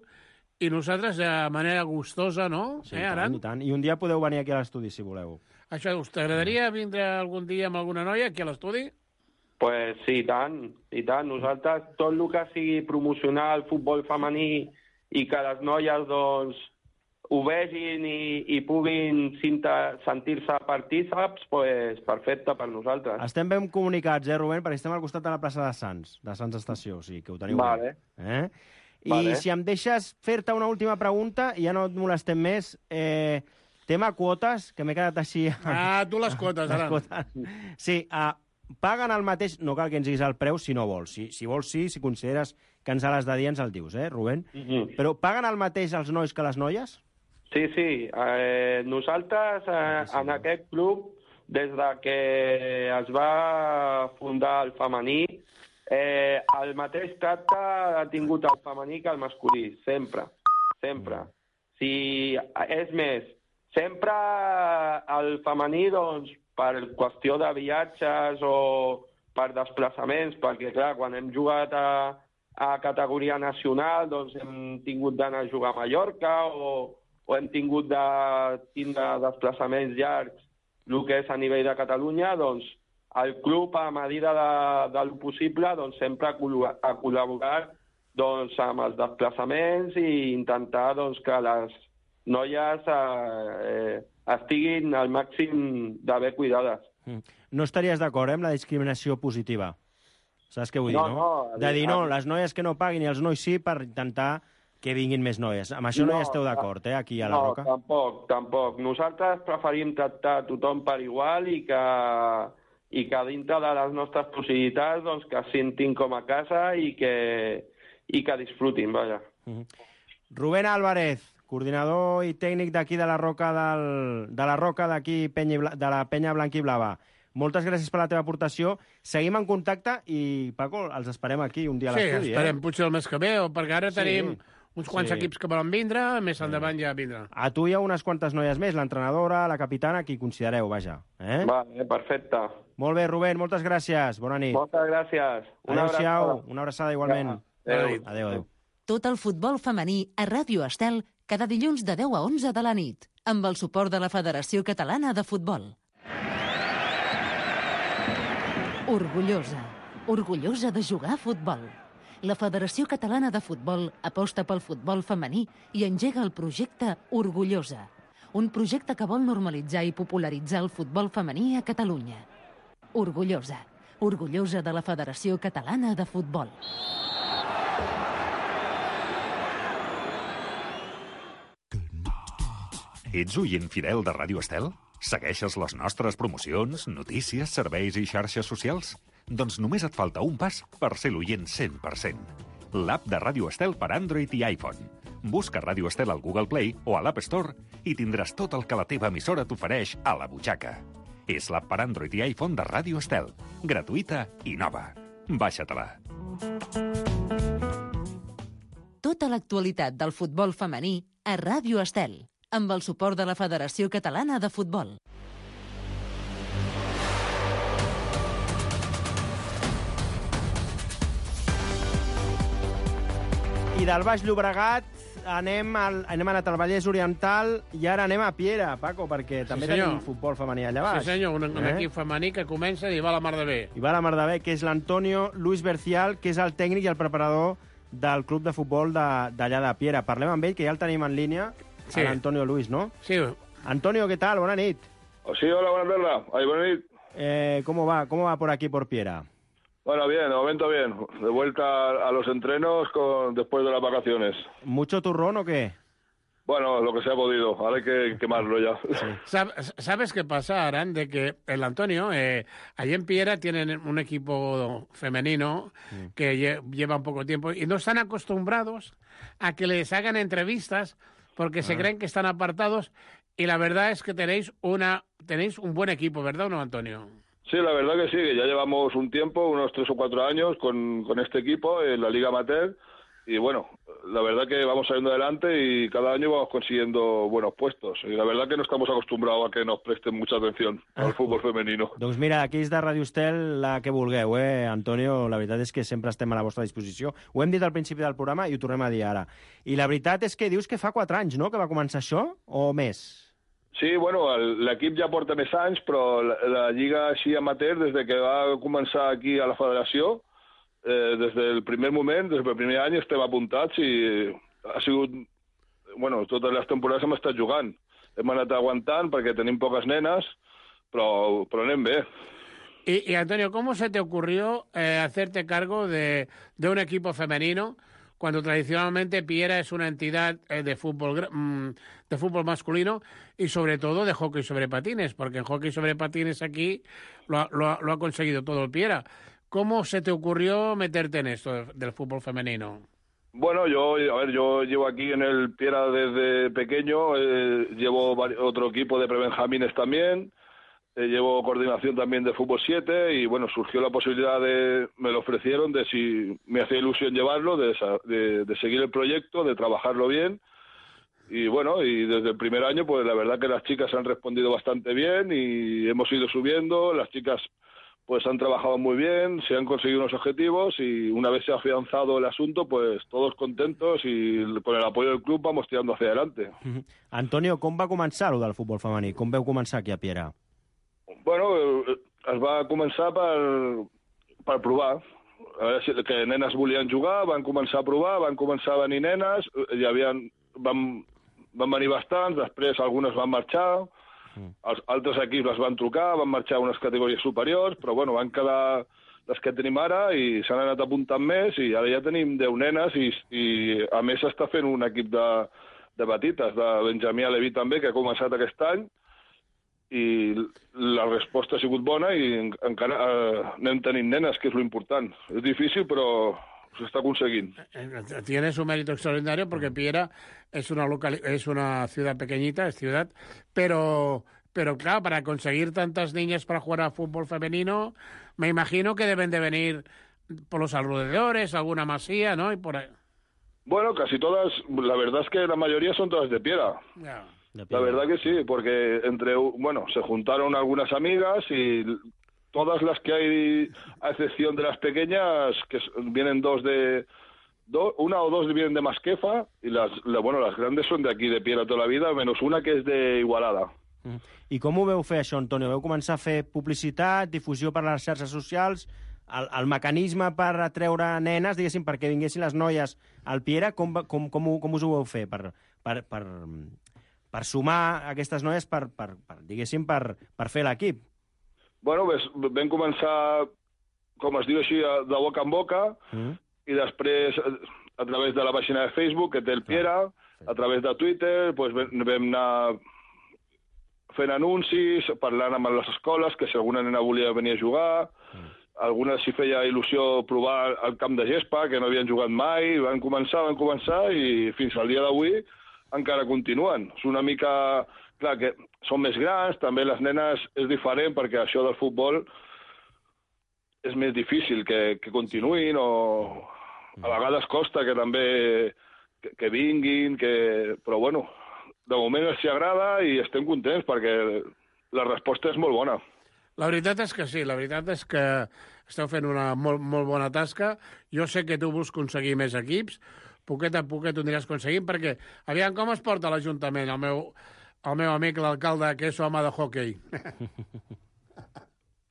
i nosaltres de manera gustosa, no? Sí, i tant. I un dia podeu venir aquí a l'estudi, si voleu. Això, us t'agradaria vindre algun dia amb alguna noia aquí a l'estudi? Pues sí, i tant. Nosaltres, tot el que sigui promocionar el futbol femení i que les noies doncs, ho vegin i puguin sentir-se partíceps, pues, perfecte per nosaltres. Estem ben comunicats, Rubén? Perquè estem al costat de la plaça de Sants Estació, o sigui que ho teniu bé. I si em deixes fer-te una última pregunta, i ja no et molestem més, tema quotes, que m'he quedat així... Tu les quotes, ara. Sí, paguen el mateix, no cal que ens diguis el preu si no vols. Si vols sí, si consideres que ens l'has de dir, ens el dius, Rubén? Però paguen el mateix els nois que les noies? Sí. Nosaltres, en aquest club, des de que es va fundar el femení, el mateix tracte ha tingut el femení que el masculí, sempre. Si, és més, sempre el femení, doncs, per qüestió de viatges o per desplaçaments, perquè, clar, quan hem jugat a categoria nacional, doncs hem tingut d'anar a jugar a Mallorca o hem tingut de tindre desplaçaments llargs, el que és a nivell de Catalunya, doncs el club, a mesura del possible, doncs sempre ha col·laborat doncs, amb els desplaçaments i intentar doncs, que les noies estiguin al màxim de bé cuidades. No estaries d'acord amb la discriminació positiva? Saps què vull dir, no? De dir, no, les noies que no paguin i els nois sí, per intentar que vinguin més noies. Amb això no hi esteu d'acord, aquí a la Roca? No, tampoc. Nosaltres preferim tractar tothom per igual i que dintre de les nostres possibilitats doncs, que es sentin com a casa i que disfrutin, vaja. Rubén Álvarez, coordinador i tècnic d'aquí de la Roca, d'aquí de la Penya Blanca i Blava. Moltes gràcies per la teva aportació. Seguim en contacte i, Paco, els esperem aquí un dia a l'estudi. Sí, esperem potser el mes que ve, perquè ara tenim uns quants equips que volen vindre, més endavant ja vindrà. A tu hi ha unes quantes noies més, l'entrenadora, la capitana, qui considereu, vaja. Vale, perfecte. Molt bé, Rubén, moltes gràcies. Bona nit. Moltes gràcies. Adéu-siau, una abraçada igualment. Adéu. Tot el futbol femení a Ràdio Estel cada dilluns de 10 a 11 de la nit, amb el suport de la Federació Catalana de Futbol. Orgullosa de jugar a futbol. La Federació Catalana de Futbol aposta pel futbol femení i engega el projecte Orgullosa, un projecte que vol normalitzar i popularitzar el futbol femení a Catalunya. Orgullosa de la Federació Catalana de Futbol. Ets oient fidel de Ràdio Estel? Segueixes les nostres promocions, notícies, serveis i xarxes socials? Doncs només et falta un pas per ser l'oient 100%. L'app de Ràdio Estel per Android i iPhone. Busca Ràdio Estel al Google Play o a l'App Store i tindràs tot el que la teva emissora t'ofereix a la butxaca. És l'app per Android i iPhone de Ràdio Estel. Gratuïta i nova. Baixa-te-la. Tota l'actualitat del futbol femení a Ràdio Estel, amb el suport de la Federació Catalana de Futbol. I del Baix Llobregat hem anat al Vallès Oriental i ara anem a Piera, Paco, perquè també tenim futbol femení allà baix. Sí, senyor, un equip femení que comença i va a la mar de bé. I va a la mar de bé, que és l'Antonio Luis Bercial, que és el tècnic i el preparador del club de futbol d'allà de Piera. Parlem amb ell, que ja el tenim en línia, l'Antonio Luis, ¿no? Sí. Antonio, ¿qué tal? Buena nit. Sí, hola, buenas tardes. Buena nit. ¿Cómo va por aquí, por Piera? Bueno, bien, de momento bien. De vuelta a los entrenos después de las vacaciones. ¿Mucho turrón o qué? Bueno, lo que se ha podido. Ahora hay que quemarlo ya. Sí. ¿Sabes qué pasa, Aran? De que el Antonio, allí en Piera tienen un equipo femenino que lleva un poco tiempo y no están acostumbrados a que les hagan entrevistas porque se creen que están apartados y la verdad es que tenéis un buen equipo, ¿verdad o no, Antonio? Sí, la verdad que sí, que ya llevamos un tiempo, unos 3 o 4 años con este equipo en la Liga Amateur y bueno, la verdad que vamos saliendo adelante y cada año vamos consiguiendo buenos puestos y la verdad que no estamos acostumbrados a que nos presten mucha atención al fútbol femenino. Doncs mira, aquí és de Ràdio Estel la que vulgueu, Antonio, la veritat és que sempre estem a la vostra disposició. Ho hem dit al principi del programa i ho tornem a dir ara. I la veritat és que dius que fa 4 anys, no?, que va començar això, o més? Sí, bueno, l'equip ja porta més anys, però la lliga així amateur, des de que va començar aquí a la federació, des del primer moment, des del primer any estem apuntats i ha sigut... Bueno, totes les temporades hem estat jugant. Hem anat aguantant perquè tenim poques nenes, però anem bé. Y Antonio, ¿cómo se te ocurrió hacerte cargo de un equipo femenino cuando tradicionalmente Piera es una entidad de fútbol masculino y sobre todo de hockey sobre patines? Porque en hockey sobre patines aquí lo ha conseguido todo el Piera. ¿Cómo se te ocurrió meterte en esto del fútbol femenino? Bueno, yo llevo aquí en el Piera desde pequeño, llevo otro equipo de prebenjamines también, llevo coordinación también de fútbol 7 y bueno, surgió la posibilidad me lo ofrecieron de si me hacía ilusión llevarlo, de seguir el proyecto, de trabajarlo bien. Y bueno, y desde el primer año, pues la verdad que las chicas han respondido bastante bien y hemos ido subiendo. Las chicas pues han trabajado muy bien, se han conseguido unos objetivos y una vez se ha afianzado el asunto, pues todos contentos y con el apoyo del club vamos tirando hacia adelante. Antonio, com va començar el del futbol femení? Com veu començar aquí a Piera? Bueno, es va començar per provar. A veure si que nenes volien jugar, van començar a provar, van començar a venir nenes, van venir bastants, després algunes van marxar, els altres equips les van trucar, van marxar a unes categories superiors, però bueno, van quedar les que tenim ara i s'han anat apuntant més i ara ja tenim 10 nenes i a més s'està fent un equip de petites, de Benjamí Aleví també, que ha començat aquest any i la resposta ha sigut bona i encara anem tenint nenes, que és l'important. És difícil, però se está consiguiendo. Tiene su mérito extraordinario porque Piera es una ciudad pequeñita, pero claro, para conseguir tantas niñas para jugar a fútbol femenino, me imagino que deben de venir por los alrededores, alguna masía, ¿no? Y por ahí. Bueno, casi todas, la verdad es que la mayoría son todas de Piera. Yeah. La verdad que sí, porque se juntaron algunas amigas y todas las que hay, a excepción de las pequeñas, que vienen una o dos vienen de Masquefa, y las grandes son de aquí, de Piera toda la vida, menos una que és de Igualada. I com ho veu fer, això, Antonio? Veu començar a fer publicitat, difusió per les xarxes socials, el mecanisme per atreure nenes, diguéssim, perquè vinguessin les noies al Piera, com us ho veu fer? Per sumar aquestes noies, diguéssim, per fer l'equip? Bueno, vam començar, com es diu així, de boca en boca, i després, a través de la pàgina de Facebook, que té el Piera, a través de Twitter, pues vam anar fent anuncis, parlant amb les escoles, que si alguna nena volia venir a jugar, algunes s'hi feia il·lusió provar el camp de gespa, que no havien jugat mai, van començar, i fins al dia d'avui encara continuen. És una mica... Clar, que són més grans, també les nenes és diferent, perquè això del futbol és més difícil que continuïn, o a vegades costa que també que vinguin, però bueno, de moment els agrada i estem contents perquè la resposta és molt bona. La veritat és que sí, la veritat és que esteu fent una molt bona tasca. Jo sé que tu vols aconseguir més equips, poquet a poquet ho aniràs aconseguint, perquè aviam com es porta l'Ajuntament, el meu amic, l'alcalde, que és home de hoquei.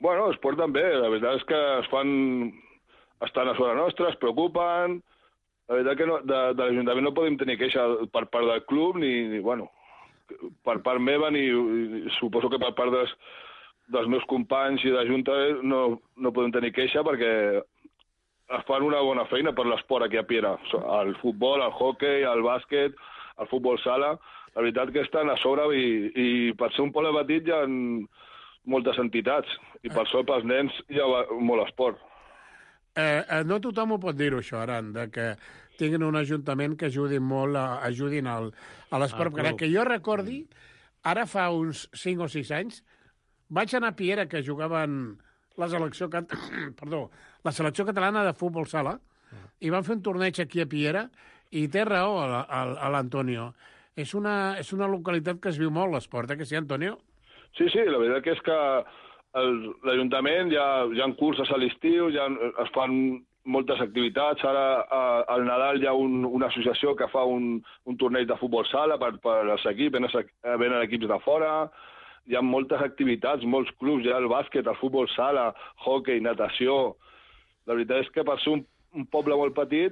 Bueno, es porten bé. La veritat és que estan a sobre nostra, es preocupen. La veritat que de l'Ajuntament no podem tenir queixa per part del club, ni per part meva, ni suposo que per part dels meus companys i de Junta no podem tenir queixa, perquè es fan una bona feina per l'esport aquí a Piera. El futbol, el hoquei, el bàsquet, el futbol sala... La veritat que estan a sobre i per ser un poble petit hi ha moltes entitats i per això pels nens hi ha molt esport. No tothom ho pot dir-ho, això, Aran, que tinguin un ajuntament que ajudin a l'esport. Que jo recordi, ara fa uns 5 o 6 anys, vaig anar a Piera, que jugaven la selecció catalana de futbol sala, i van fer un torneig aquí a Piera, i té raó a l'Antonio. És una localitat que es viu molt l'esport, que sí, Antonio? Sí, la veritat que és que l'Ajuntament hi ha curses a l'estiu, es fan moltes activitats. Ara al Nadal hi ha una associació que fa un torneig de futbol sala per als equips, venen equips de fora. Hi ha moltes activitats, molts clubs, hi ha el bàsquet, el futbol sala, hoquei, natació. La veritat és que per ser un poble molt petit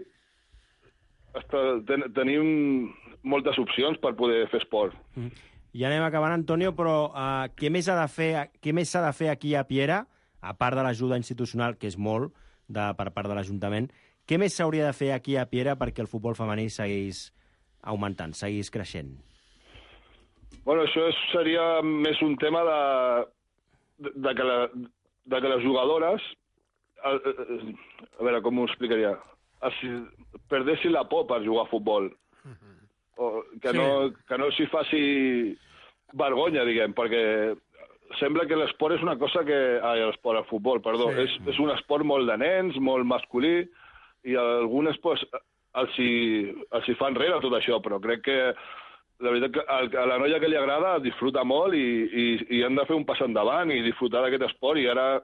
tenim moltes opcions per poder fer esport. I anem acabant, Antonio, però què més s'ha de fer aquí a Piera, a part de l'ajuda institucional, que és molt per part de l'Ajuntament, què més s'hauria de fer aquí a Piera perquè el futbol femení seguís augmentant, seguís creixent? Bueno, això seria més un tema de que les jugadores a veure, com ho explicaria? Si perdessin la por per jugar a futbol. O que no s'hi faci vergonya, diguem, perquè sembla que l'esport és una cosa que... l'esport, el futbol, perdó. Sí. És un esport molt de nens, molt masculí, i algunes pues, els hi fa enrere tot això, però crec que la veritat que a la noia que li agrada disfruta molt i han de fer un pas endavant i disfrutar d'aquest esport, i ara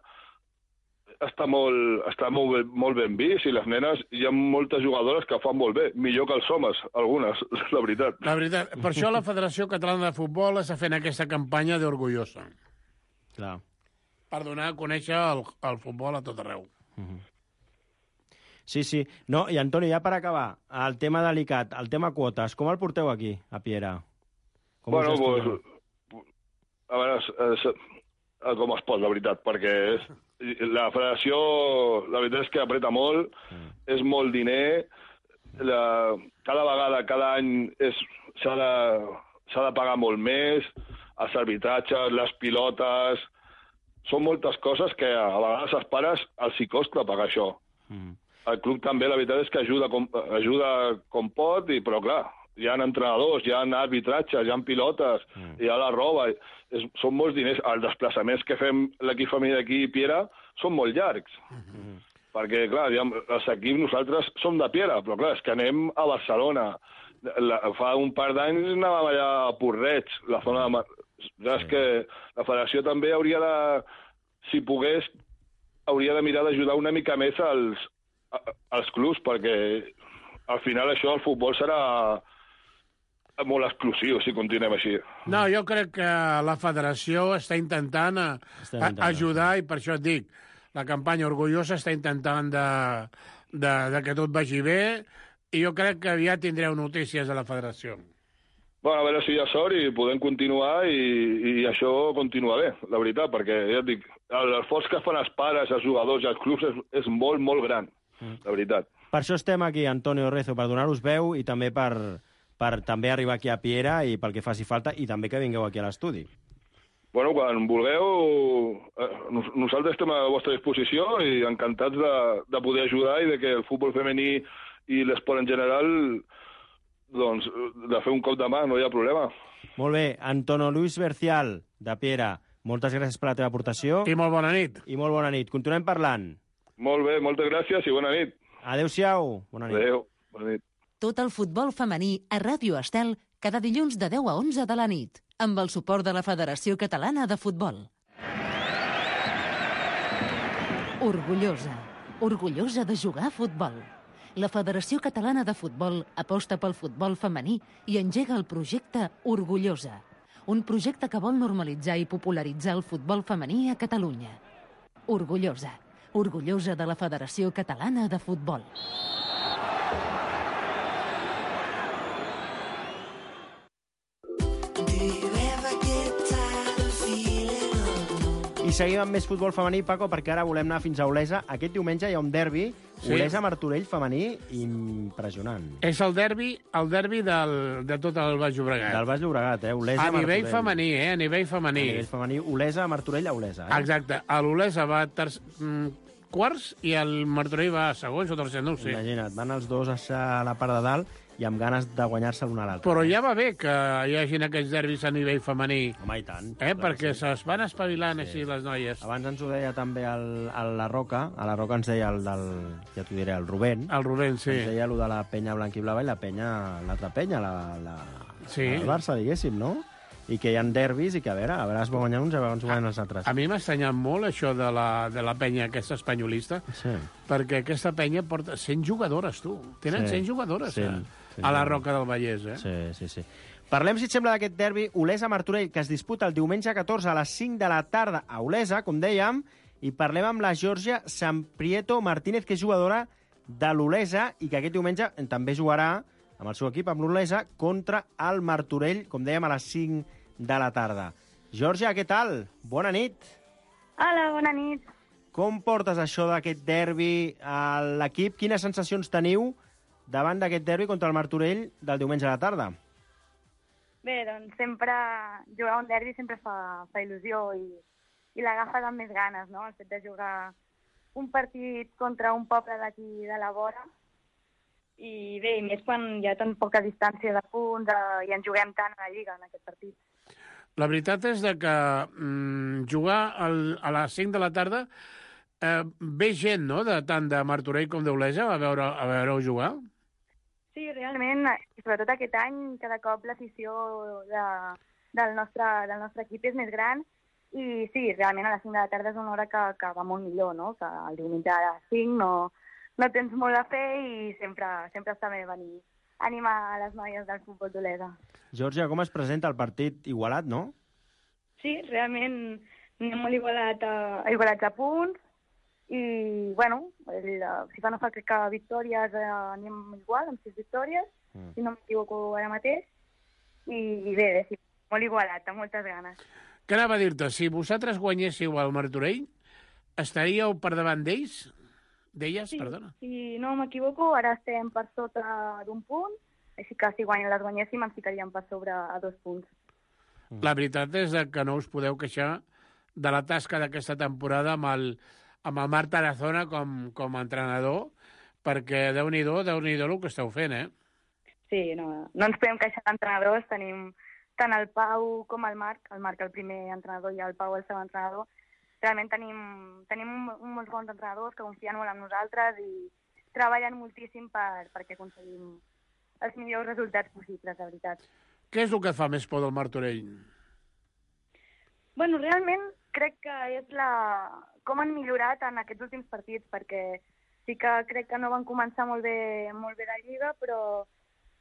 està molt ben vist, i les nenes, hi ha moltes jugadores que fan molt bé, millor que els homes, algunes, la veritat. La veritat. Per això la Federació Catalana de Futbol està fent aquesta campanya d'Orgullosa. Clar. Per donar a conèixer el futbol a tot arreu. Sí, sí. No, i Antoni, ja per acabar, el tema delicat, el tema quotes, com el porteu aquí, a Piera? Bueno, a veure, com es pot, la veritat, perquè la federació, la veritat és que apreta molt, és molt diner, cada vegada, cada any s'ha de pagar molt més, els arbitratges, les pilotes... Són moltes coses que a vegades als pares els hi costa pagar això. El club també, la veritat és que ajuda com pot, però clar, hi ha entrenadors, hi ha arbitratges, hi ha pilotes, hi ha la roba... Són molts diners. Els desplaçaments que fem l'equip femení d'aquí i Piera són molt llargs. Perquè, clar, els equips nosaltres som de Piera, però clar, és que anem a Barcelona. Fa un par d'anys anàvem allà a Porreig, la zona de... Ja és que la federació també hauria de, si pogués, hauria de mirar d'ajudar una mica més als clubs, perquè al final això, el futbol serà molt exclusiu si continuem així. No, jo crec que la federació està intentant ajudar, i per això et dic, la campanya Orgullosa està intentant que tot vagi bé, i jo crec que aviat tindreu notícies de la federació. Bueno, a veure si hi ha sort i podem continuar i això continua bé, la veritat, perquè ja et dic, l'esforç que fan els pares, els jugadors i els clubs és molt, molt gran, la veritat. Per això estem aquí, Antonio Rezo, per donar-vos veu i també per també arribar aquí a Piera i pel que faci falta, i també que vingueu aquí a l'estudi. Bueno, quan vulgueu, nosaltres estem a la vostra disposició i encantats de poder ajudar i de que el futbol femení i l'esport en general, doncs, de fer un cop de mà, no hi ha problema. Molt bé. Antonio Luis Bercial, de Piera, moltes gràcies per la teva aportació. I molt bona nit. I molt bona nit. Continuem parlant. Molt bé, moltes gràcies i bona nit. Adéu-siau. Bona nit. Adéu, bona nit. Tot el futbol femení a Ràdio Estel cada dilluns de 10 a 11 de la nit, amb el suport de la Federació Catalana de Futbol. Orgullosa. Orgullosa de jugar a futbol. La Federació Catalana de Futbol aposta pel futbol femení i engega el projecte Orgullosa, un projecte que vol normalitzar i popularitzar el futbol femení a Catalunya. Orgullosa. Orgullosa de la Federació Catalana de Futbol. I seguim amb més futbol femení, Paco, perquè ara volem anar fins a Olesa. Aquest diumenge hi ha un derbi, Olesa-Martorell femení, impressionant. És el derbi de tot el Baix Llobregat. Del Baix Llobregat, Olesa-Martorell. A nivell femení, a nivell femení. A nivell femení, Olesa-Martorell a Olesa. Exacte. L'Olesa va quarts i el Martorell va segons o tercer, no ho sé. Imagina't, van els dos a la part de dalt i amb ganes de guanyar-se l'un a l'altre. Però ja va bé que hi hagin aquests derbis a nivell femení. Home, i tant. Perquè se'ls van espavilant així les noies. Abans ens ho deia també a la Roca ens deia ja t'ho diré, el Rubén. El Rubén, sí. Ens deia allò de la penya blanquiblava i l'altra penya, el Barça, diguéssim, no? I que hi ha derbis i que, a veure, es va guanyar uns i a veure, guanyen els altres. A mi m'ha estranyat molt això de la penya aquesta espanyolista, perquè aquesta penya porta 100 jugadores, tu. Tenen 100 jugadores a la Roca del Vallès, Sí. Parlem, si et sembla, d'aquest derbi Olesa-Martorell, que es disputa el diumenge 14 a les 5 de la tarda a Olesa, com dèiem, i parlem amb la Georgia Samprieto Martínez, que és jugadora de l'Olesa i que aquest diumenge també jugarà amb el seu equip, amb l'Olesa, contra el Martorell, com dèiem, a les 5 de la tarda. Georgia, què tal? Bona nit. Hola, bona nit. Com portes això d'aquest derbi a l'equip? Quines sensacions teniu davant d'aquest derbi contra el Martorell del diumenge a la tarda? Bé, doncs sempre jugar un derbi sempre fa il·lusió i l'agafa amb més ganes, no? El fet de jugar un partit contra un poble d'aquí de la vora, i bé, i més quan hi ha tan poca distància de punts i ens juguem tant a la Lliga en aquest partit. La veritat és que jugar a les 5 de la tarda ve gent, no?, tant de Martorell com d'Olesa a veure-ho jugar? Sí, realment, sobretot aquest any, cada cop l'afició del nostre equip és més gran i sí, realment a les 5 de la tarda és una hora que va molt millor, no? Que el diumenge a les 5 no tens molt a fer i sempre està bé venir a animar a les noies del futbol d'Olesa. Georgia, com es presenta el partit igualat, no? Sí, realment anem molt igualats a punts i, bueno, si fa no fa crec que victòries anem igual, amb 6 victòries, si no m'equivoco ara mateix, i bé, sí, molt igualat, amb moltes ganes. Què anava a dir-te? Si vosaltres guanyéssiu al Martorell, estaríeu per davant d'ells? D'elles, sí, perdona. Si no m'equivoco, ara estem per sota d'un punt, així que si les guanyéssim ens ficaríem per sobre a 2 punts. La veritat és que no us podeu queixar de la tasca d'aquesta temporada amb el Marc Tarazona com a entrenador, perquè Déu-n'hi-do el que esteu fent, eh? Sí, no ens podem queixar d'entrenadors, tenim tant el Pau com el Marc el primer entrenador i el Pau el segon entrenador. Realment tenim molts bons entrenadors que confien molt en nosaltres i treballen moltíssim perquè aconseguim els millors resultats possibles, de veritat. Què és el que et fa més por del Martorell? Bueno, realment crec que és com han millorat en aquests últims partits, perquè sí que crec que no van començar molt bé la Lliga, però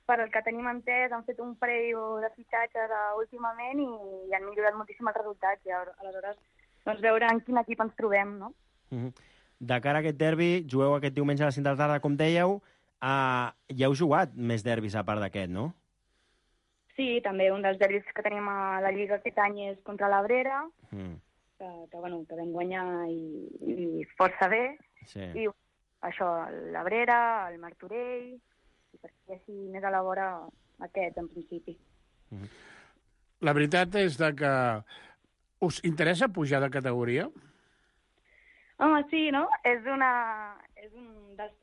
per el que tenim entès han fet un parell de fitxatges últimament i han millorat moltíssim els resultats i aleshores doncs veure en quin equip ens trobem, no? De cara a aquest derbi, jugueu aquest diumenge a les 5 de la tarda, com dèieu. Ja heu jugat més derbis a part d'aquest, no? Sí, també un dels derbis que tenim a la Lliga aquest any és contra l'Abrera, que vam guanyar i força bé. Sí. I això, l'Abrera, el Martorell, i perquè així més a la vora aquest, en principi. La veritat és que us interessa pujar de categoria? Home, sí, no? És un dels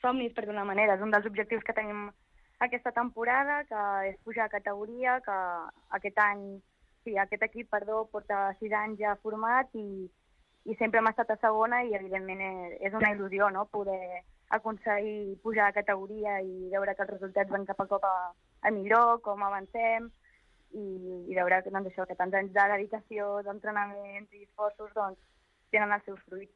somnis, per d'una manera. És un dels objectius que tenim aquesta temporada, que és pujar a categoria, que aquest equip, porta 6 anys ja format i sempre hem estat a segona i, evidentment, és una il·lusió, no?, poder aconseguir pujar a categoria i veure que els resultats van cap a cop a millor, com avancem, i veure doncs, això, que tants anys de dedicació, d'entrenaments i esforços doncs, tenen els seus fruits.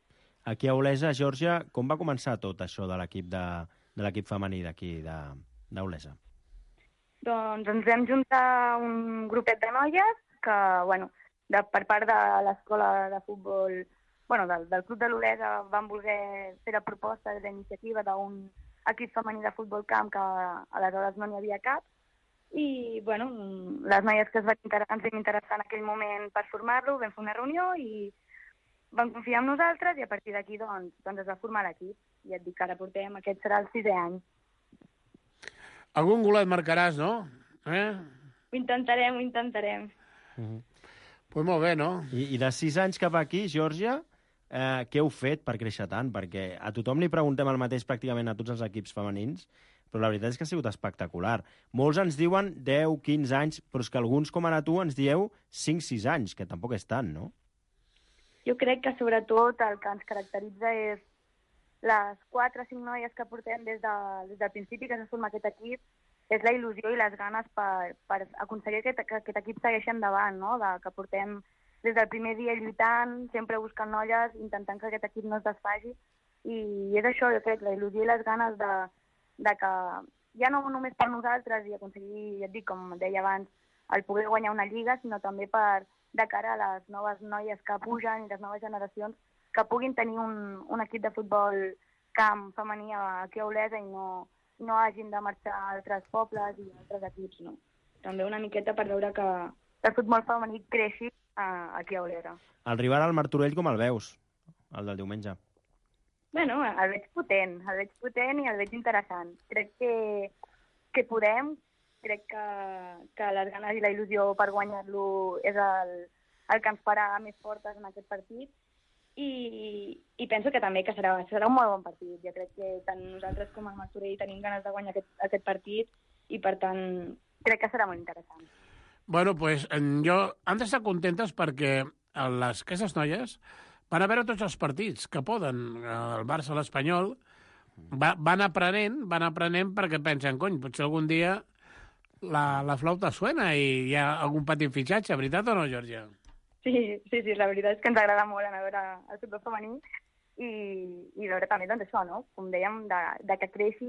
Aquí a Olesa, Georgia, com va començar tot això de l'equip femení d'aquí, d'Olesa? Doncs ens vam juntar un grupet de noies que, per part de l'escola de futbol, del club de l'Olesa, van voler fer la proposta de la iniciativa d'un equip femení de futbol camp que aleshores no n'hi havia cap. I, les noies que ens vam interessar en aquell moment per formar-lo, vam fer una reunió i van confiar en nosaltres i a partir d'aquí doncs es va formar l'equip. I et dic que ara aquest serà el 6è any. Algun golet marcaràs, no? Ho intentarem. Pues molt bé, no? I de 6 anys cap aquí, Georgia, què heu fet per créixer tant? Perquè a tothom li preguntem el mateix pràcticament a tots els equips femenins, però la veritat és que ha sigut espectacular. Molts ens diuen 10, 15 anys, però és que alguns, com ara tu, ens dieu 5-6 anys, que tampoc és tant, no? Jo crec que, sobretot, el que ens caracteritza és les 4 o 5 noies que portem des del principi que s'ha format aquest equip, és la il·lusió i les ganes per aconseguir que aquest equip segueixi endavant, no? Que portem des del primer dia lluitant, sempre buscant noies, intentant que aquest equip no es desfaci. I és això, jo crec, la il·lusió i les ganes de que ja no només per nosaltres i aconseguir, ja et dic, com deia abans, el poder guanyar una lliga, sinó també de cara a les noves noies que pugen i les noves generacions que puguin tenir un equip de futbol camp femení aquí a Olesa i no hagin de marxar a altres pobles i altres equips, no? També una miqueta per veure que el futbol femení creixi aquí a Olesa. El rival al Martorell com el veus, el del diumenge? El veig potent i el veig interessant. Crec que podem, crec que les ganes i la il·lusió per guanyar-lo és el que ens farà més fortes en aquest partit i penso que també que serà un molt bon partit. Jo crec que tant nosaltres com el Martorell tenim ganes de guanyar aquest partit i, per tant, crec que serà molt interessant. Bueno, pues han d'estar contentes perquè aquestes noies van a veure tots els partits que poden. El Barça, l'Espanyol, van aprenent perquè pensen, cony, potser algun dia la flauta suena i hi ha algun petit fitxatge, veritat o no, Georgia? Sí, la veritat és que ens agrada molt anar a veure el futbol femení i veure també doncs això, no? Com dèiem, de que creixi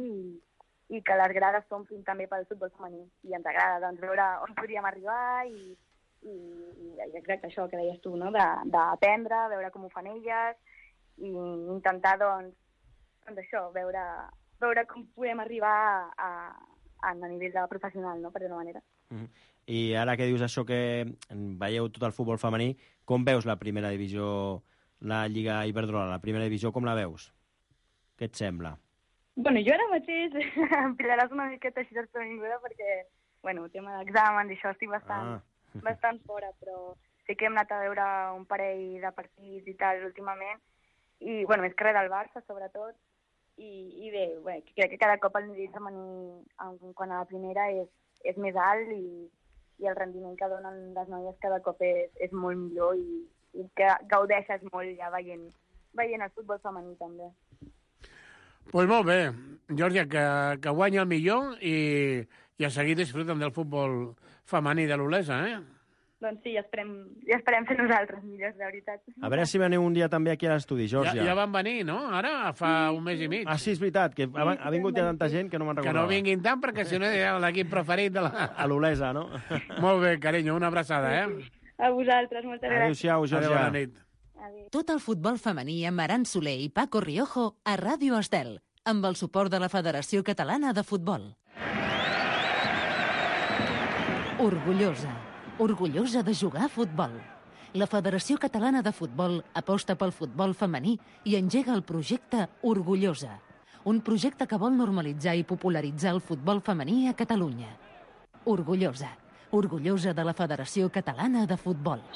i que les grades s'omplin també pel futbol femení. I ens agrada doncs, veure on podríem arribar i exacte això que deies tu, no? D'aprendre, veure com ho fan elles i intentar doncs això, veure com podem arribar a nivell de professional, no? Per d'una manera. I ara que dius això que veieu tot el futbol femení, com veus la primera divisió, la Lliga Iberdrola, la primera divisió, com la veus? Què et sembla? Bueno, jo ara mateix em pillaràs una miqueta així desprevinguda perquè, bueno, el tema d'exàmens i això estic bastant fora, però sí que hem anat a veure un parell de partits i tal últimament, i, bueno, més que res del Barça, sobretot, i bé, crec que cada cop el nivell femení quan a la primera és més alt i el rendiment que donen les noies cada cop és molt millor i que gaudeixes molt ja veient el futbol femení també. Pues molt bé, Georgia, que guanya el millor i a seguir disfruten del futbol femení de l'Olesa, eh? Doncs sí, ja esperem ser nosaltres millors, de veritat. A veure si veniu un dia també aquí a l'estudi, Georgia. Ja van venir, no? Ara, fa un mes i mig. Ah, sí, és veritat, que ha vingut ja tanta gent que no me'n recordava. Que no vinguin tant, perquè si no era l'equip preferit de a l'Olesa, no? Molt bé, carinyo, una abraçada, eh? A vosaltres, moltes gràcies. Adéu-siau, Georgia. Bona nit. Tot el futbol femení amb Aran Soler i Paco Riojo a Ràdio Estel, amb el suport de la Federació Catalana de Futbol. Orgullosa de jugar a futbol. La Federació Catalana de Futbol aposta pel futbol femení i engega el projecte Orgullosa, un projecte que vol normalitzar i popularitzar el futbol femení a Catalunya. Orgullosa de la Federació Catalana de Futbol.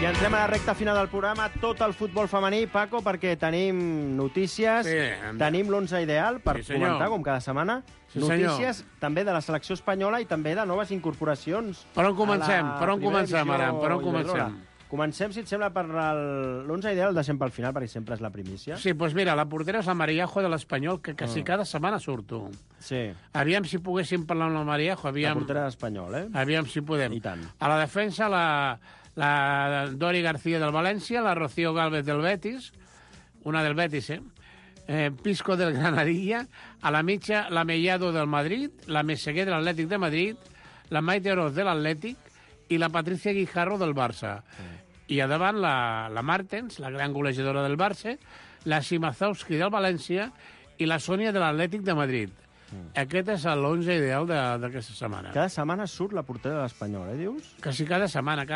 I entrem a la recta final del programa, tot el futbol femení, Paco, perquè tenim notícies, tenim l'11 ideal per comentar, com cada setmana, notícies també de la selecció espanyola i també de noves incorporacions. Per on comencem? Per on comencem, Aran? Per on comencem? Comencem, si et sembla, per l'11 ideal, el deixem pel final, perquè sempre és la primícia. Sí, doncs mira, la portera és la Mariajo de l'Espanyol, que quasi cada setmana surto. Sí. Aviam si poguéssim parlar amb la Mariajo. La portera d'Espanyol, eh? Aviam si podem. I tant. A la defensa, la Dori García del València, la Rocío Gálvez del Betis, una del Betis, Pisco del Granadilla, a la mitja, la Mellado del Madrid, la Meseguer de l'Atlètic de Madrid, la Maite Oroz de l'Atlètic i la Patricia Guijarro del Barça. I a davant la Martens, la gran golejadora del Barça, la Simazowski del València i la Sònia de l'Atlètic de Madrid. Aquest és l'11 ideal d'aquesta setmana. Cada setmana surt la portera de l'Espanyol, dius? Quasi cada setmana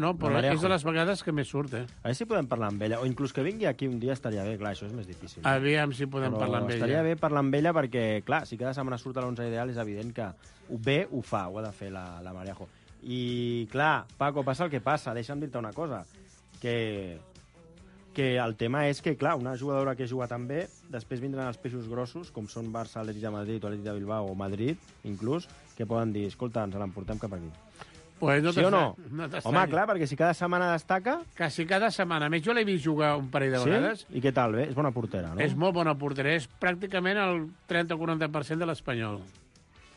no, però és de les vegades que més surt, A veure si podem parlar amb ella, o inclús que vingui aquí un dia estaria bé, clar, això és més difícil. Aviam si podem parlar amb ella. Estaria bé parlar amb ella perquè, clar, si cada setmana surt a l'11 ideal és evident que ho fa, ho ha de fer la Mariajo. I, clar, Paco, passa el que passa, deixa'm dir-te una cosa, que el tema és que, clar, una jugadora que juga tan bé, després vindran els peixos grossos, com són Barça, Atlètic de Madrid o Atlètic de Bilbao o Madrid, inclús, que poden dir, escolta, ens l'emportem cap aquí. Pues no sí o no? Home, clar, perquè si cada setmana destaca... Quasi cada setmana. A més, jo l'he vist jugar un parell de vegades. I què tal, bé? És bona portera, no? És molt bona portera. És pràcticament el 30 o 40% de l'Espanyol.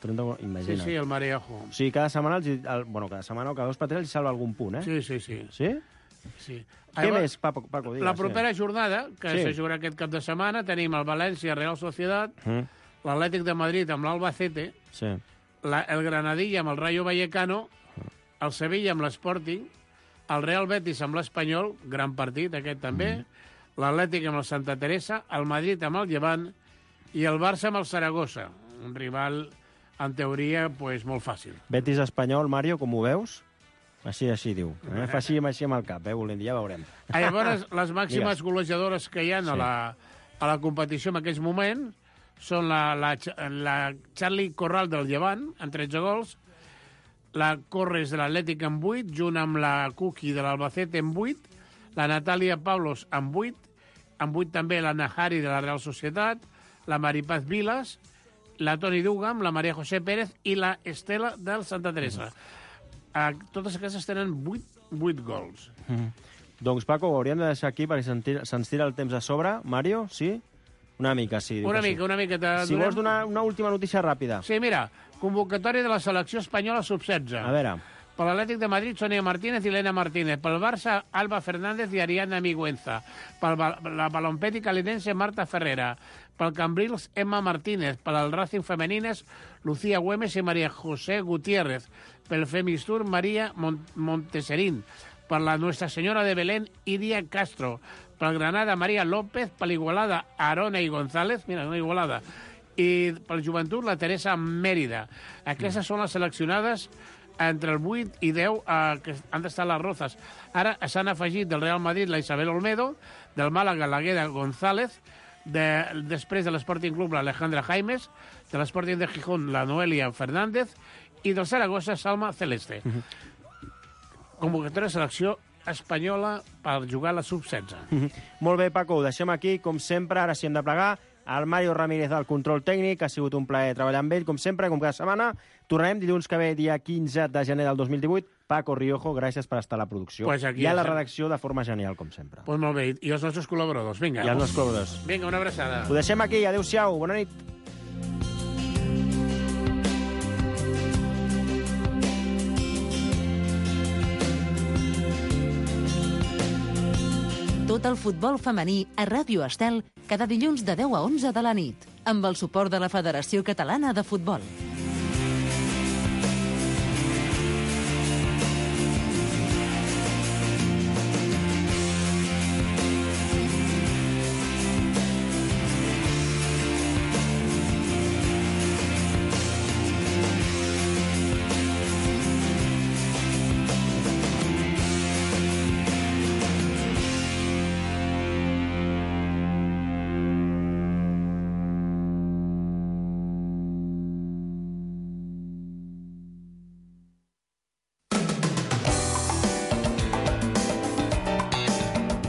Imagina't. Sí, el Mariajo. Sí, cada setmana, cada setmana o cada 2 per 3 els salva algun punt, eh? Sí. Sí? Sí. Què més, Paco? Digues, la propera jornada, que se jugarà aquest cap de setmana, tenim el València Real Societat, l'Atlètic de Madrid amb l'Albacete, el Granadilla amb el Rayo Vallecano, el Sevilla amb l'Sporting, el Real Betis amb l'Espanyol, gran partit aquest també, l'Atlètic amb el Santa Teresa, el Madrid amb el Llevant i el Barça amb el Saragossa, un rival, en teoria, pues, molt fàcil. Betis Espanyol, Mario, com ho veus? Així diu. Fa així amb el cap, volent dir, ja veurem. Llavors, les màximes golejadores que hi ha a la competició en aquells moments són la Charlie Corral del Llevant, amb 13 gols, la Corres de l'Atlètic amb 8, junt amb la Cookie de l'Albacete amb 8, la Natàlia Pablos amb 8 també la Nahari de la Real Societat, la Maripaz Vilas, la Toni Dugam, la Maria José Pérez i la Estela del Santa Teresa. Totes aquestes tenen 8 gols. Doncs, Paco, ho hauríem de deixar aquí perquè se'ns tira el temps a sobre. Mario, sí? Una mica, sí. Una mica. Si vols donar una última notícia ràpida. Sí, mira, convocatòria de la selecció espanyola sub-16. A veure. Per l'Atlètic de Madrid, Sonia Martínez i Elena Martínez. Pel Barça, Alba Fernández i Ariadna Miguenza. Per la Balompeti Calinense, Marta Ferrera. Pel Cambrils, Emma Martínez. Per al Racing Femenines, Lucía Güemes i María José Gutiérrez. Pel Femistur, María Monteserín. Per la Nuestra Señora de Belén, Iria Castro. Per Granada, María López. Per l'Igualada, Arona i González. Mira, una Igualada. I per Joventut, la Teresa Mèrida. Aquestes són les seleccionades entre el 8 i 10 que han d'estar les Rozas. Ara s'han afegit del Real Madrid la Isabel Olmedo, del Màlaga la Gueda González, després de l'Sporting Club l'Alejandra Jaimes, de l'Sporting de Gijón la Noelia Fernández i del Saragossa Salma Celeste. Convocatòria de selecció espanyola per jugar a la sub-16. Molt bé, Paco, ho deixem aquí. Com sempre, ara sí hem de plegar. El Mario Ramírez del control tècnic, ha sigut un plaer treballar amb ell, com sempre, com cada setmana. Tornarem dilluns que ve, dia 15 de gener del 2018. Paco Riojo, gràcies per estar a la producció. I a la redacció de forma genial, com sempre. Pues molt bé, i els nostres col·laboradors, vinga. I els nostres col·laboradors. Vinga, una abraçada. Ho deixem aquí, adéu-siau, bona nit. Tot el futbol femení a Ràdio Estel cada dilluns de 10 a 11 de la nit, amb el suport de la Federació Catalana de Futbol.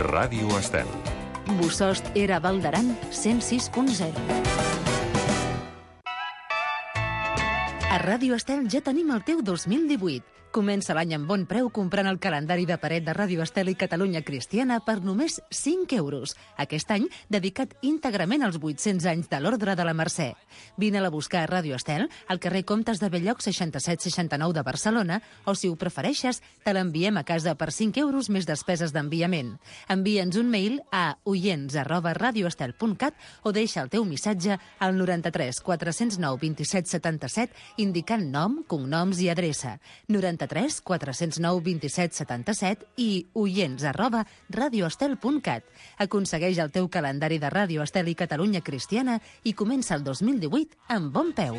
Ràdio Estel. Bosost era Val d'Aran 106.0. A Ràdio Estel ja tenim el teu 2018. Comença l'any amb bon preu comprant el calendari de paret de Ràdio Estel i Catalunya Cristiana per només 5 euros. Aquest any dedicat íntegrament als 800 anys de l'Ordre de la Mercè. Vine-la a buscar a Ràdio Estel, al carrer Comtes de Belloc 6769 de Barcelona, o si ho prefereixes, te l'enviem a casa per 5 euros més despeses d'enviament. Envia'ns un mail a oients@radioestel.cat o deixa el teu missatge al 93 409 27 77 indicant nom, cognoms i adreça. 93 409 27 77 i oients@radioestel.cat. Aconsegueix el teu calendari de Ràdio Estel i Catalunya Cristiana i comença el 2018 amb bon peu.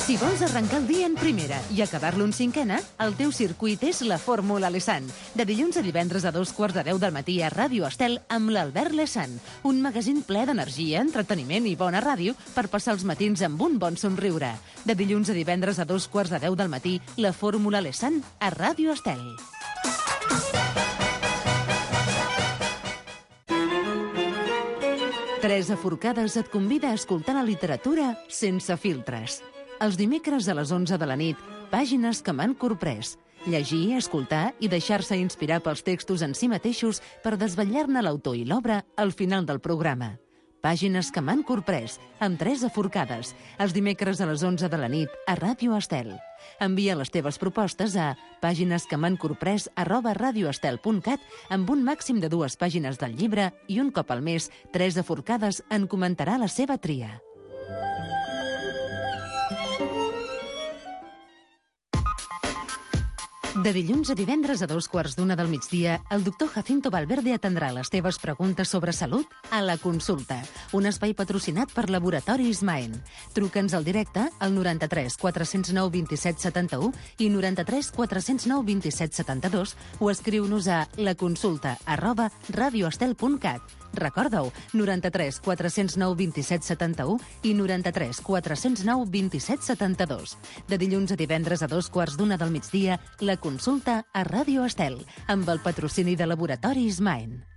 Si vols arrencar el dia en primera i acabar-lo en cinquena, el teu circuit és la Fórmula Lesan. De dilluns a divendres a 2:15 del matí a Ràdio Estel amb l'Albert Lesan. Un magazín ple d'energia, entreteniment i bona ràdio per passar els matins amb un bon somriure. De dilluns a divendres a 2:15 del matí, la Fórmula Lesan a Ràdio Estel. Teresa Forcades et convida a escoltar la literatura sense filtres. Els dimecres a les 11 de la nit, pàgines que m'han corprès. Llegir, escoltar i deixar-se inspirar pels textos en si mateixos per desvetllar-ne l'autor i l'obra al final del programa. Pàgines que m'han corprès, amb Teresa Forcades, els dimecres a les 11 de la nit a Ràdio Estel. Envia les teves propostes a paginesquemhancorprès@radioestel.cat amb un màxim de 2 pàgines del llibre i un cop al mes, Teresa Forcades en comentarà la seva tria. De dilluns a divendres a 2:15 del migdia, el doctor Jacinto Valverde atendrà les teves preguntes sobre salut a La Consulta, un espai patrocinat per Laboratoris Maen. Truca'ns al directe al 93 409 27 71 i 93 409 27 72 o escriu-nos a laconsulta@radioestel.cat. Recorda-ho, 93 409 27 71 i 93 409 27 72. De dilluns a divendres a 2:15 del migdia, La Consulta a Ràdio Estel, amb el patrocini de Laboratoris Maen.